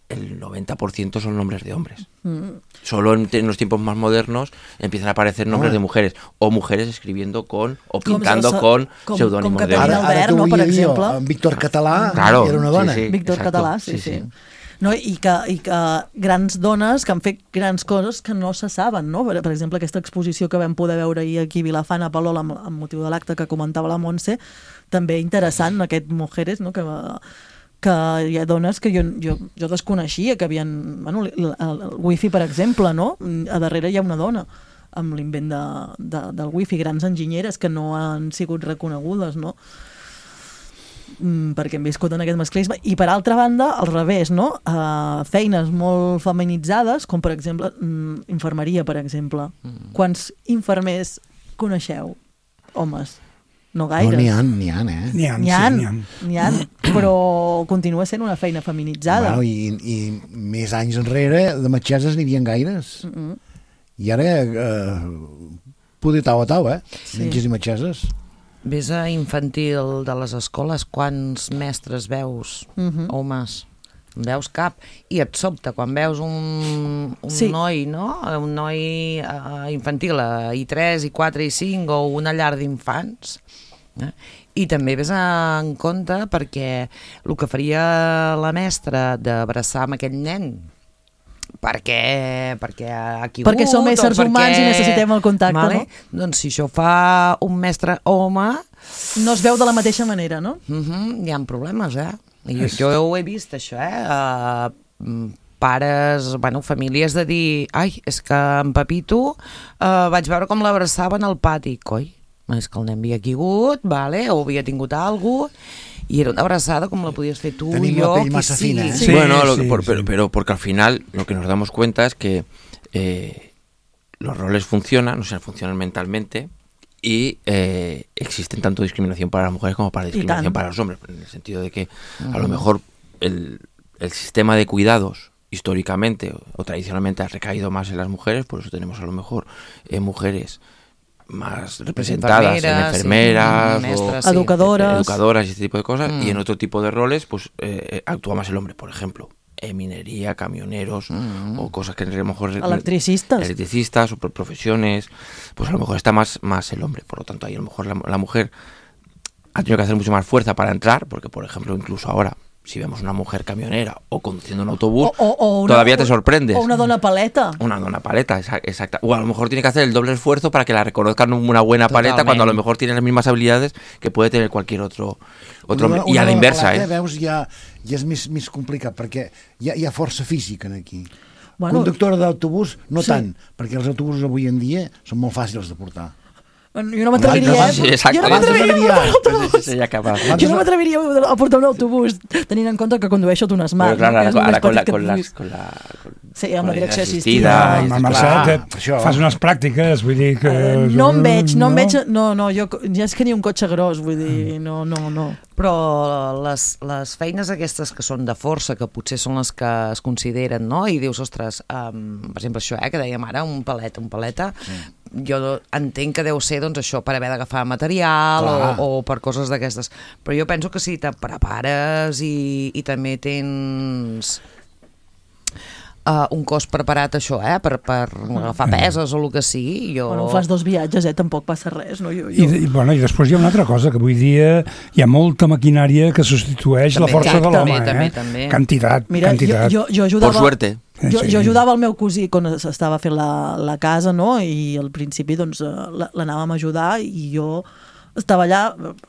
el noventa por ciento son nombres de hombres. Mm. Solo en, en los tiempos más modernos empiezan a aparecer nombres oh. de mujeres, o mujeres escribiendo con, o pintando com, con com, pseudònimos com de hombres. Ara, ara no, per exemple. En Víctor Català claro, era una dona. Sí, sí, Víctor exacto, Català, sí, sí. sí. No, i, que, i que grans dones que han fet grans coses que no se saben, no? Per, per exemple, aquesta exposició que vam poder veure ahir aquí a Vilafant, a Palol, amb, amb motiu de l'acte que comentava la Montse, també interessant, aquest Mujeres, no?, que, que hi ha dones que jo, jo, jo desconeixia, que havien... Bueno, el, el wifi, per exemple, no? A darrere hi ha una dona amb l'invent de, de, del wifi, grans enginyeres que no han sigut reconegudes, no?, perquè hem viscut en aquest masclisme. I per altra banda, al revés, no? Uh, feines molt feminitzades, com per exemple infermeria, per exemple. Mm. Quants infermers coneixeu? Homes? No gaires. No, n'hi ha, n'hi ha, eh? N'hi ha, n'hi ha, sí, n'hi ha. n'hi ha, però continua sent una feina feminitzada. Bueno, i, i més anys enrere de metgesses n'hi havia gaires. Mm -hmm. I ara eh, poder tau a tau, eh? Sí. Metges i metgesses. Ves a infantil de les escoles, quants mestres veus, uh-huh. homes? En veus cap. I et sobta, quan veus un, un sí. noi, no? Un noi uh, infantil a I tres, I quatre, I cinc, o una llar d'infants. Eh? I també ves en compte perquè el que faria la mestra d'abraçar amb aquell nen, perquè, perquè ha quigut, perquè som éssers perquè... humans i necessitem el contacte, vale? No? Doncs si això fa un mestre home... No es veu de la mateixa manera, no? Uh-huh, hi ha problemes, eh? Jo, jo ho he vist, això, eh? Uh, pares, bueno, famílies de dir, ai, és que en Pepito uh, vaig veure com l'abraçaven al pati. Coi, és que el nen havia quigut, vale? O havia tingut alguna cosa, y era una abrazada como lo podías hacer tú y yo. La más sí, fina, ¿eh? sí, bueno, lo que, sí, por, sí. Pero, pero porque al final lo que nos damos cuenta es que eh, los roles funcionan, o sea, funcionan mentalmente y eh, existen tanto discriminación para las mujeres como para discriminación para los hombres, en el sentido de que uh-huh. a lo mejor el, el sistema de cuidados históricamente o, o tradicionalmente ha recaído más en las mujeres, por eso tenemos a lo mejor eh, mujeres más representadas en enfermeras, sí, o educadoras, educadoras y este tipo de cosas, mm. y en otro tipo de roles pues eh, actúa más el hombre, por ejemplo, en minería, camioneros, mm. o cosas que a lo mejor electricistas, electricistas o profesiones, pues a lo mejor está más, más el hombre, por lo tanto ahí a lo mejor la, la mujer ha tenido que hacer mucho más fuerza para entrar, porque por ejemplo incluso ahora si vemos una mujer camionera o conduciendo un autobús, o, o, o una, todavía te sorprendes. O una dona paleta. Una dona paleta, exacta. O a lo mejor tiene que hacer el doble esfuerzo para que la reconozcan una buena Totalment. paleta, cuando a lo mejor tiene las mismas habilidades que puede tener cualquier otro, otro una, hombre. I a la inversa, paleta, eh? Veus, ja, ja és més, més complicat, perquè hi ha, hi ha força física aquí. Bueno, conductora d'autobús, no sí. tant, perquè els autobusos avui en dia són molt fàcils de portar. Jo no m'atreviria, sí, exacte. jo no m'atreviria jo no m'atreviria a portar un autobús tenint en compte que condueixo d'un Smart. Però clar, no? ara con la, con, la, con la con sí, amb la direcció assistida. Amb Marcel, fas unes pràctiques, vull dir que... Uh, no em veig, no em veig, no, no, jo ja és que ni un cotxe gros, vull dir, no, no, no. Però les, les feines aquestes que són de força, que potser són les que es consideren, no? I dius, ostres, um, per exemple, això, eh, que dèiem ara, un paleta, un paleta, sí. jo entenc que deu ser doncs, això per haver d'agafar material o, o per coses d'aquestes, però jo penso que si te prepares i, i també tens uh, un cos preparat això, eh, per, per agafar peses o el que sigui, jo... Bueno, fas dos viatges, eh, tampoc passa res, no? Jo, jo... I, i, bueno, I després hi ha una altra cosa, que avui dia hi ha molta maquinària que substitueix també, la força exacte, de l'home, eh? També, també. Quantitat, Mira, quantitat. Jo, jo, jo ajudava... Por suerte. Jo, jo ajudava el meu cosí quan estava fent la, la casa, no? I al principi doncs l'anàvem a ajudar i jo estava allà,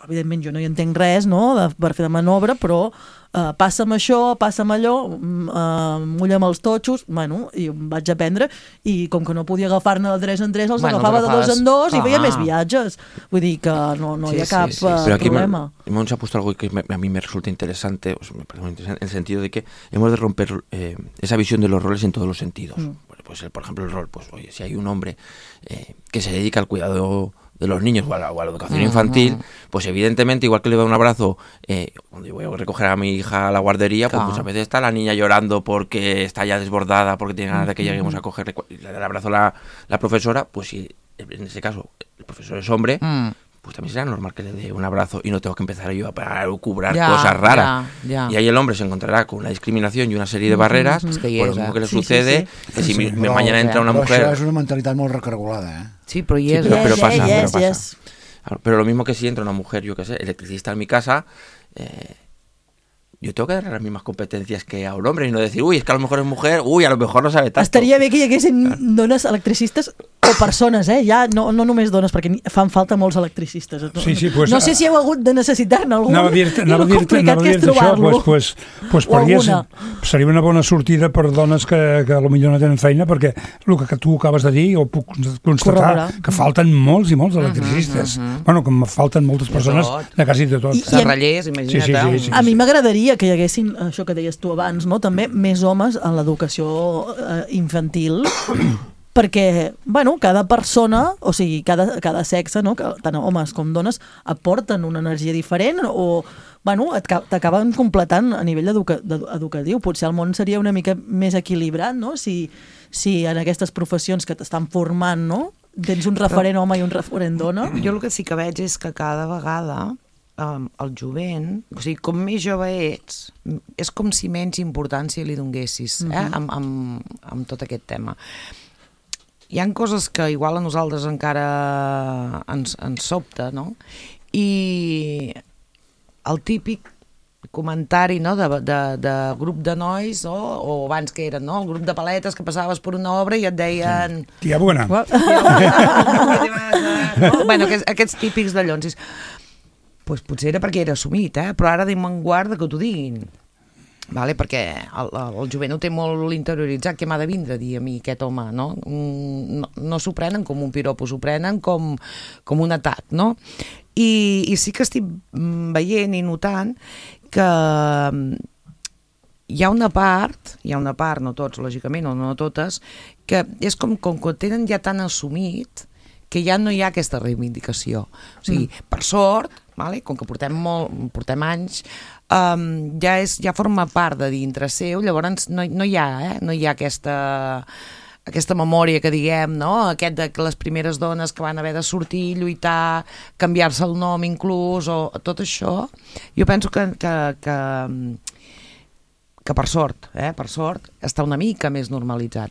evidentment jo no hi entenc res, no? De, per fer de manobra, però uh, passa'm això, passa'm allò, uh, mulla'm els totxos, bueno, i em vaig aprendre, i com que no podia agafar-ne de tres en tres, els bueno, agafava de dos en dos ah. i feia més viatges. Vull dir que no, no sí, hi ha cap sí, sí. Uh, problema. Me, hemos puesto algo que me, a mí me resulta interesante, o sea, me parece muy interesante, en el sentido de que hemos de romper eh, esa visión de los roles en todos los sentidos. Mm. Bueno, pues, por ejemplo, el rol, pues oye, si hay un hombre eh, que se dedica al cuidado de los niños o a la, o a la educación uh-huh. infantil, pues evidentemente, igual que le da un abrazo, eh, cuando yo voy a recoger a mi hija a la guardería, claro. pues muchas veces está la niña llorando porque está ya desbordada, porque tiene ganas de que lleguemos a cogerle, y le da el abrazo a la, la profesora, pues si en ese caso el profesor es hombre, mm. pues también será normal que le dé un abrazo y no tengo que empezar yo a cubrar ya, cosas raras. Ya, ya. Y ahí el hombre se encontrará con una discriminación y una serie de barreres, mm-hmm. que por lo mismo que le sí, sucede, sí, sí. que si sí, sí. Me, mañana entra una mujer... Però això és una mentalitat molt recargolada, eh? Sí, però hi és. Sí, pero, pero pasa, yes, pero pasa. Yes. Pero lo mismo que si entra una mujer, yo qué sé, electricista en mi casa... Eh, yo tengo que darle las mismas competencias que a un hombre y no decir, uy, es que a lo mejor es mujer, uy, a lo mejor no sabe tanto. Estaria bé que hi haguessin claro. dones electricistes o persones, eh? Ja no, no només dones, perquè fan falta molts electricistes. No, sí, sí, pues, no sé si heu hagut de necessitar-ne algun anava a dir-te, i el complicat que és trobar-lo. Pues, pues, pues podria, seria una bona sortida per dones que, que potser no tenen feina, perquè el que tu acabes de dir, ho puc constatar, Corrobra. que falten molts i molts electricistes. Uh -huh, uh -huh. Bueno, que falten moltes persones de, de quasi de tot. Serrallers, imagina't. Sí, sí, sí, sí, a mi m'agradaria que hi haguessin, això que deies tu abans, no? també més homes en l'educació eh, infantil, perquè, bueno, cada persona, o sigui, cada, cada sexe, no? que, tant homes com dones, aporten una energia diferent o, bueno, t'acaben completant a nivell educa educatiu. Potser el món seria una mica més equilibrat, no? Si, si en aquestes professions que t'estan formant, no? Tens un referent home i un referent dona. Jo el que sí que veig és que cada vegada Um, el jovent, o sigui, com més jove ets, és com si menys importància li donguessis eh? uh-huh. amb, amb, amb tot aquest tema. Hi ha coses que igual a nosaltres encara ens, ens sobta, no? I el típic comentari, no? de, de, de grup de nois, no? O abans que eren, no? El grup de paletes que passaves per una obra i et deien... Tia bona. no? Bueno, aquests, aquests típics dallons. Pues potser era perquè era assumit, eh? Però ara anem en guarda que t'ho diguin. Vale? Perquè el, el jovent ho té molt interioritzat, que m'ha de vindre a dir a mi aquest home, no? No, no s'ho prenen com un piropo, s'ho prenen com, com un atac, no? I, I sí que estic veient i notant que hi ha una part, hi ha una part, no tots, lògicament, o no totes, que és com, com que tenen ja tan assumit que ja no hi ha aquesta reivindicació. O sigui, mm. per sort, vale? Com que portem, molt, portem anys, um, ja, és, ja forma part de dintre seu, llavors no, no hi ha, eh? no hi ha aquesta, aquesta memòria que diguem, no? Aquest de que les primeres dones que van haver de sortir, lluitar, canviar-se el nom inclús, o tot això, jo penso que, que, que, que per sort, eh? per sort, està una mica més normalitzat.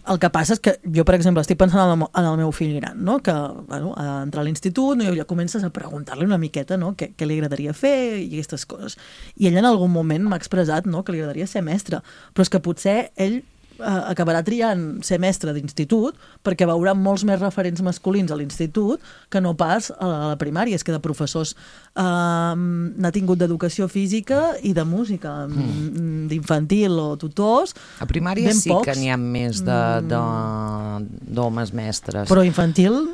El que passa és que jo, per exemple, estic pensant en el, en el meu fill gran, no? Que bueno, a entrar a l'institut, no? I ja comences a preguntar-li una miqueta, no? Què, què li agradaria fer i aquestes coses. I ell en algun moment m'ha expressat, no? Que li agradaria ser mestre, però és que potser ell eh, acabarà triant ser mestre d'institut perquè veurà molts més referents masculins a l'institut que no pas a la primària. És que de professors eh, n'ha tingut d'educació física i de música, mm. d'infantil o tutors. A primària sí pocs. Que n'hi ha més d'homes mestres. Però infantil...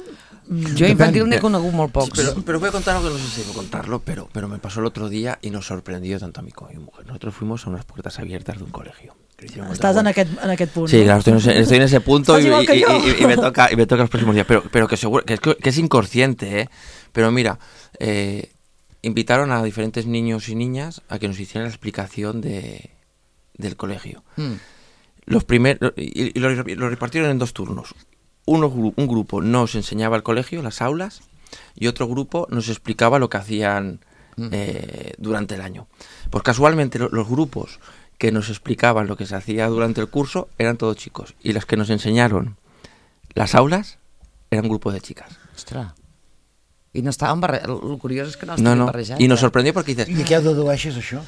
Yo infantil n'he conegut molt pocs. Sí, pero, pero voy a contar algo que no sé si debo contarlo, pero, pero me pasó el otro día y nos sorprendió tanto a mí como a mi mujer. Nosotros fuimos a unas puertas abiertas de un colegio. Estás en aquest, en aquest punt, sí, no? claro, estoy en ese, estoy en ese punto y, y, y, y, y, me toca, y me toca los próximos días. Pero, pero que seguro que es, que es inconsciente, ¿eh? Pero mira, eh, invitaron a diferentes niños y niñas a que nos hicieran la explicación de, del colegio. Mm. Los primeros, y, y lo, lo repartieron en dos turnos. Uno, un grupo nos enseñaba el colegio, las aulas, y otro grupo nos explicaba lo que hacían eh, durante el año. Pues casualmente lo, los grupos que nos explicaban lo que se hacía durante el curso eran todos chicos, y los que nos enseñaron las aulas eran un grupo de chicas. Ostras. I no estaven barrejats. El curiós és que no no, estaven no. barrejats. I nos sorprendió porque dices... I què dedueixes, això?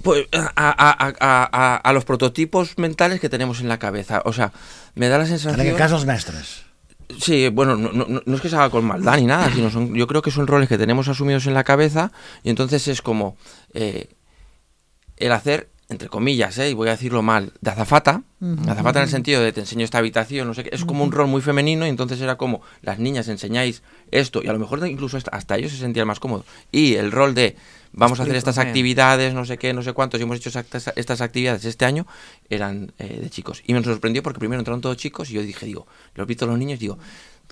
Pues a, a, a, a, a los prototipos mentales que tenemos en la cabeza. O sea, me da la sensación... En aquest cas, els mestres. Sí, bueno, no, no, no es que se haga con maldad ni nada, sino son, yo creo que son roles que tenemos asumidos en la cabeza y entonces es como... Eh, el hacer, entre comillas, ¿eh? Y voy a decirlo mal, de azafata, uh-huh. azafata en el sentido de te enseño esta habitación, no sé qué, es como un rol muy femenino y entonces era como, las niñas enseñáis esto y a lo mejor incluso hasta ellos se sentían más cómodos. Y el rol de vamos a hacer estas actividades, no sé qué, no sé cuántos, y hemos hecho estas, estas actividades este año, eran eh, de chicos. Y me sorprendió porque primero entraron todos chicos y yo dije, digo, los vi todos los niños, digo,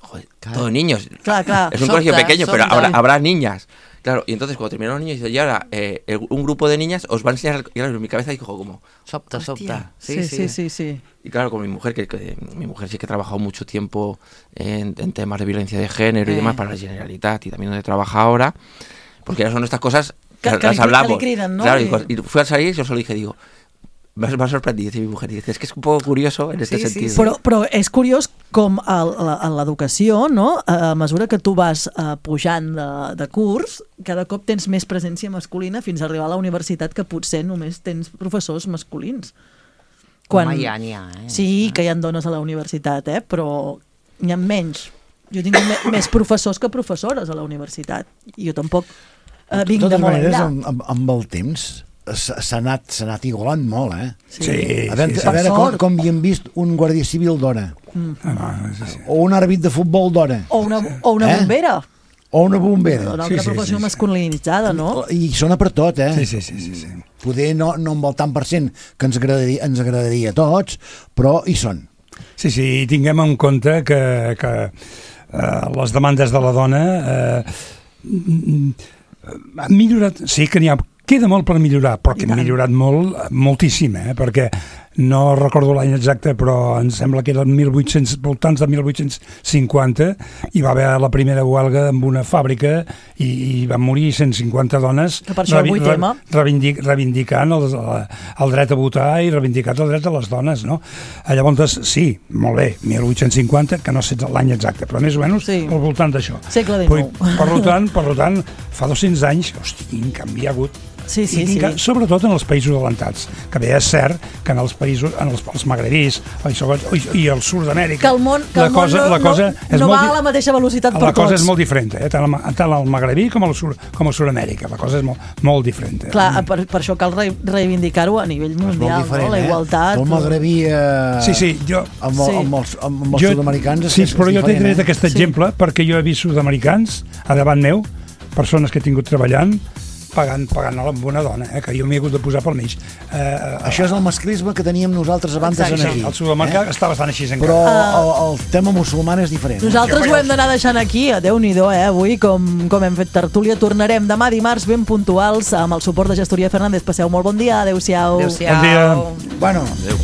joder, claro. todos niños. Claro, claro. Es un Sobta, colegio pequeño, sobta. pero habrá, habrá niñas. Claro, y entonces cuando terminaron los niños, dice, y ahora eh, el, un grupo de niñas os va a enseñar, y claro, en mi cabeza dijo como, Sobta, sobta. Sí, sí, sí, sí, sí. Y claro, con mi mujer, que, que mi mujer sí que ha trabajado mucho tiempo en, en temas de violencia de género y Eh. demás para la Generalitat y también donde trabaja ahora, porque ya son estas cosas que, Que- que las li- hablamos. que li criden, no? Claro, y, I- cuando- y fui a salir y yo solo dije, digo, me ha, me ha sorprendido, dice mi mujer, y dice, es que es un poco curioso en este Sí, sí, sentido. sí. Però, però és curiós com a, a, a l'educació, no? a mesura que tu vas uh, pujant de, de curs, cada cop tens més presència masculina fins a arribar a la universitat que potser només tens professors masculins. Home, ja n'hi ha, eh? Sí, que hi ha dones a la universitat, eh? Però n'hi ha menys. Jo tinc me, més professors que professores a la universitat. I jo tampoc uh, vinc de de totes molt maneres, enllà. amb, amb, amb el temps s'ha s'ha anat, s'ha anat igualant molt, eh? Sí, a veure, sí, sí. a veure Per com, sort. com hi hem vist un guàrdia civil d'hora. Mm. O un àrbit de futbol d'hora. O una, o una Eh? bombera. O una bombera. Una altra professió masculinitzada, no? I sona per tot, eh? Sí, sí, sí, sí, sí. Poder no, no amb el tant per cent que ens agradaria, ens agradaria a tots, però hi són. Sí, sí, tinguem en compte que, que eh, les demandes de la dona eh, han millorat, sí que n'hi ha, queda molt per millorar, però que han millorat molt, moltíssim, eh, perquè no recordo l'any exacte, però em sembla que eren mil vuit-cents, voltants de mil vuit-cents cinquanta, hi va haver la primera huelga en una fàbrica i, i van morir cent cinquanta dones Que per això avui revi- tema. reivindic, reivindicant el, el dret a votar i reivindicant el dret de les dones, no? Llavors, sí, molt bé, mil vuit-cents cinquanta, que no sé l'any exacte, però més o menys sí. al voltant d'això. Segle Per, dinou. per, tant, per tant, fa dos-cents anys, hosti, quin canvi hi ha hagut. Sí, sí, I quin sí. ca- sobretot en els països adelantats, que bé és cert que en els països, en els, els magrebís i, i, i el sud d'Amèrica, Que el món, que la el món cosa, no, la cosa no, és no molt va di- a la mateixa velocitat per la cosa tots. és molt diferent, eh? tant, al, tant al magrebí com al sud, com a Sud-amèrica, la cosa és molt, molt diferent. Eh? Clar, per, per això cal re, reivindicar-ho a nivell mundial, no? La igualtat. El magrebí eh, Sí, sí, jo... amb, el, Sí. amb els, amb els sud-americans és, Sí, és però jo t'he diferent, tret eh? aquest exemple perquè jo he vist sud-americans a davant meu, persones que he tingut treballant, pagant, pagant amb una dona, eh, que jo m'hi he hagut de posar pel mig. Eh, Això és el masclisme que teníem nosaltres abans de ser aquí. El sud-americà eh? està bastant així encara. Però el, el tema musulmà és diferent. Nosaltres ho hem d'anar deixant aquí, Déu-n'hi-do, eh? Avui, com, com hem fet tertúlia, tornarem demà dimarts ben puntuals amb el suport de Gestoria Fernández. Passeu molt bon dia, adeu-siau. Adéu-siau. Bon dia. Bueno, Adéu.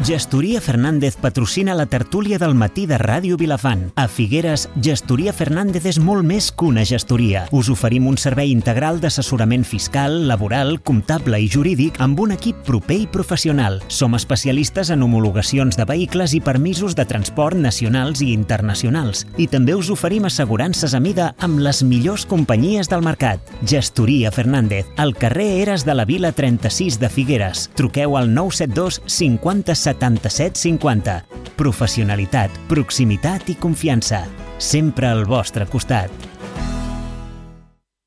Gestoria Fernández patrocina la tertúlia del matí de Ràdio Vilafant. A Figueres, Gestoria Fernández és molt més que una gestoria. Us oferim un servei integral d'assessorament fiscal, laboral, comptable i jurídic amb un equip proper i professional. Som especialistes en homologacions de vehicles i permisos de transport nacionals i internacionals. I també us oferim assegurances a mida amb les millors companyies del mercat. Gestoria Fernández, al carrer Eres de la Vila trenta-sis de Figueres. Truqueu al nou set dos cinquanta setanta-set cinquanta. Professionalitat, proximitat i confiança. Sempre al vostre costat.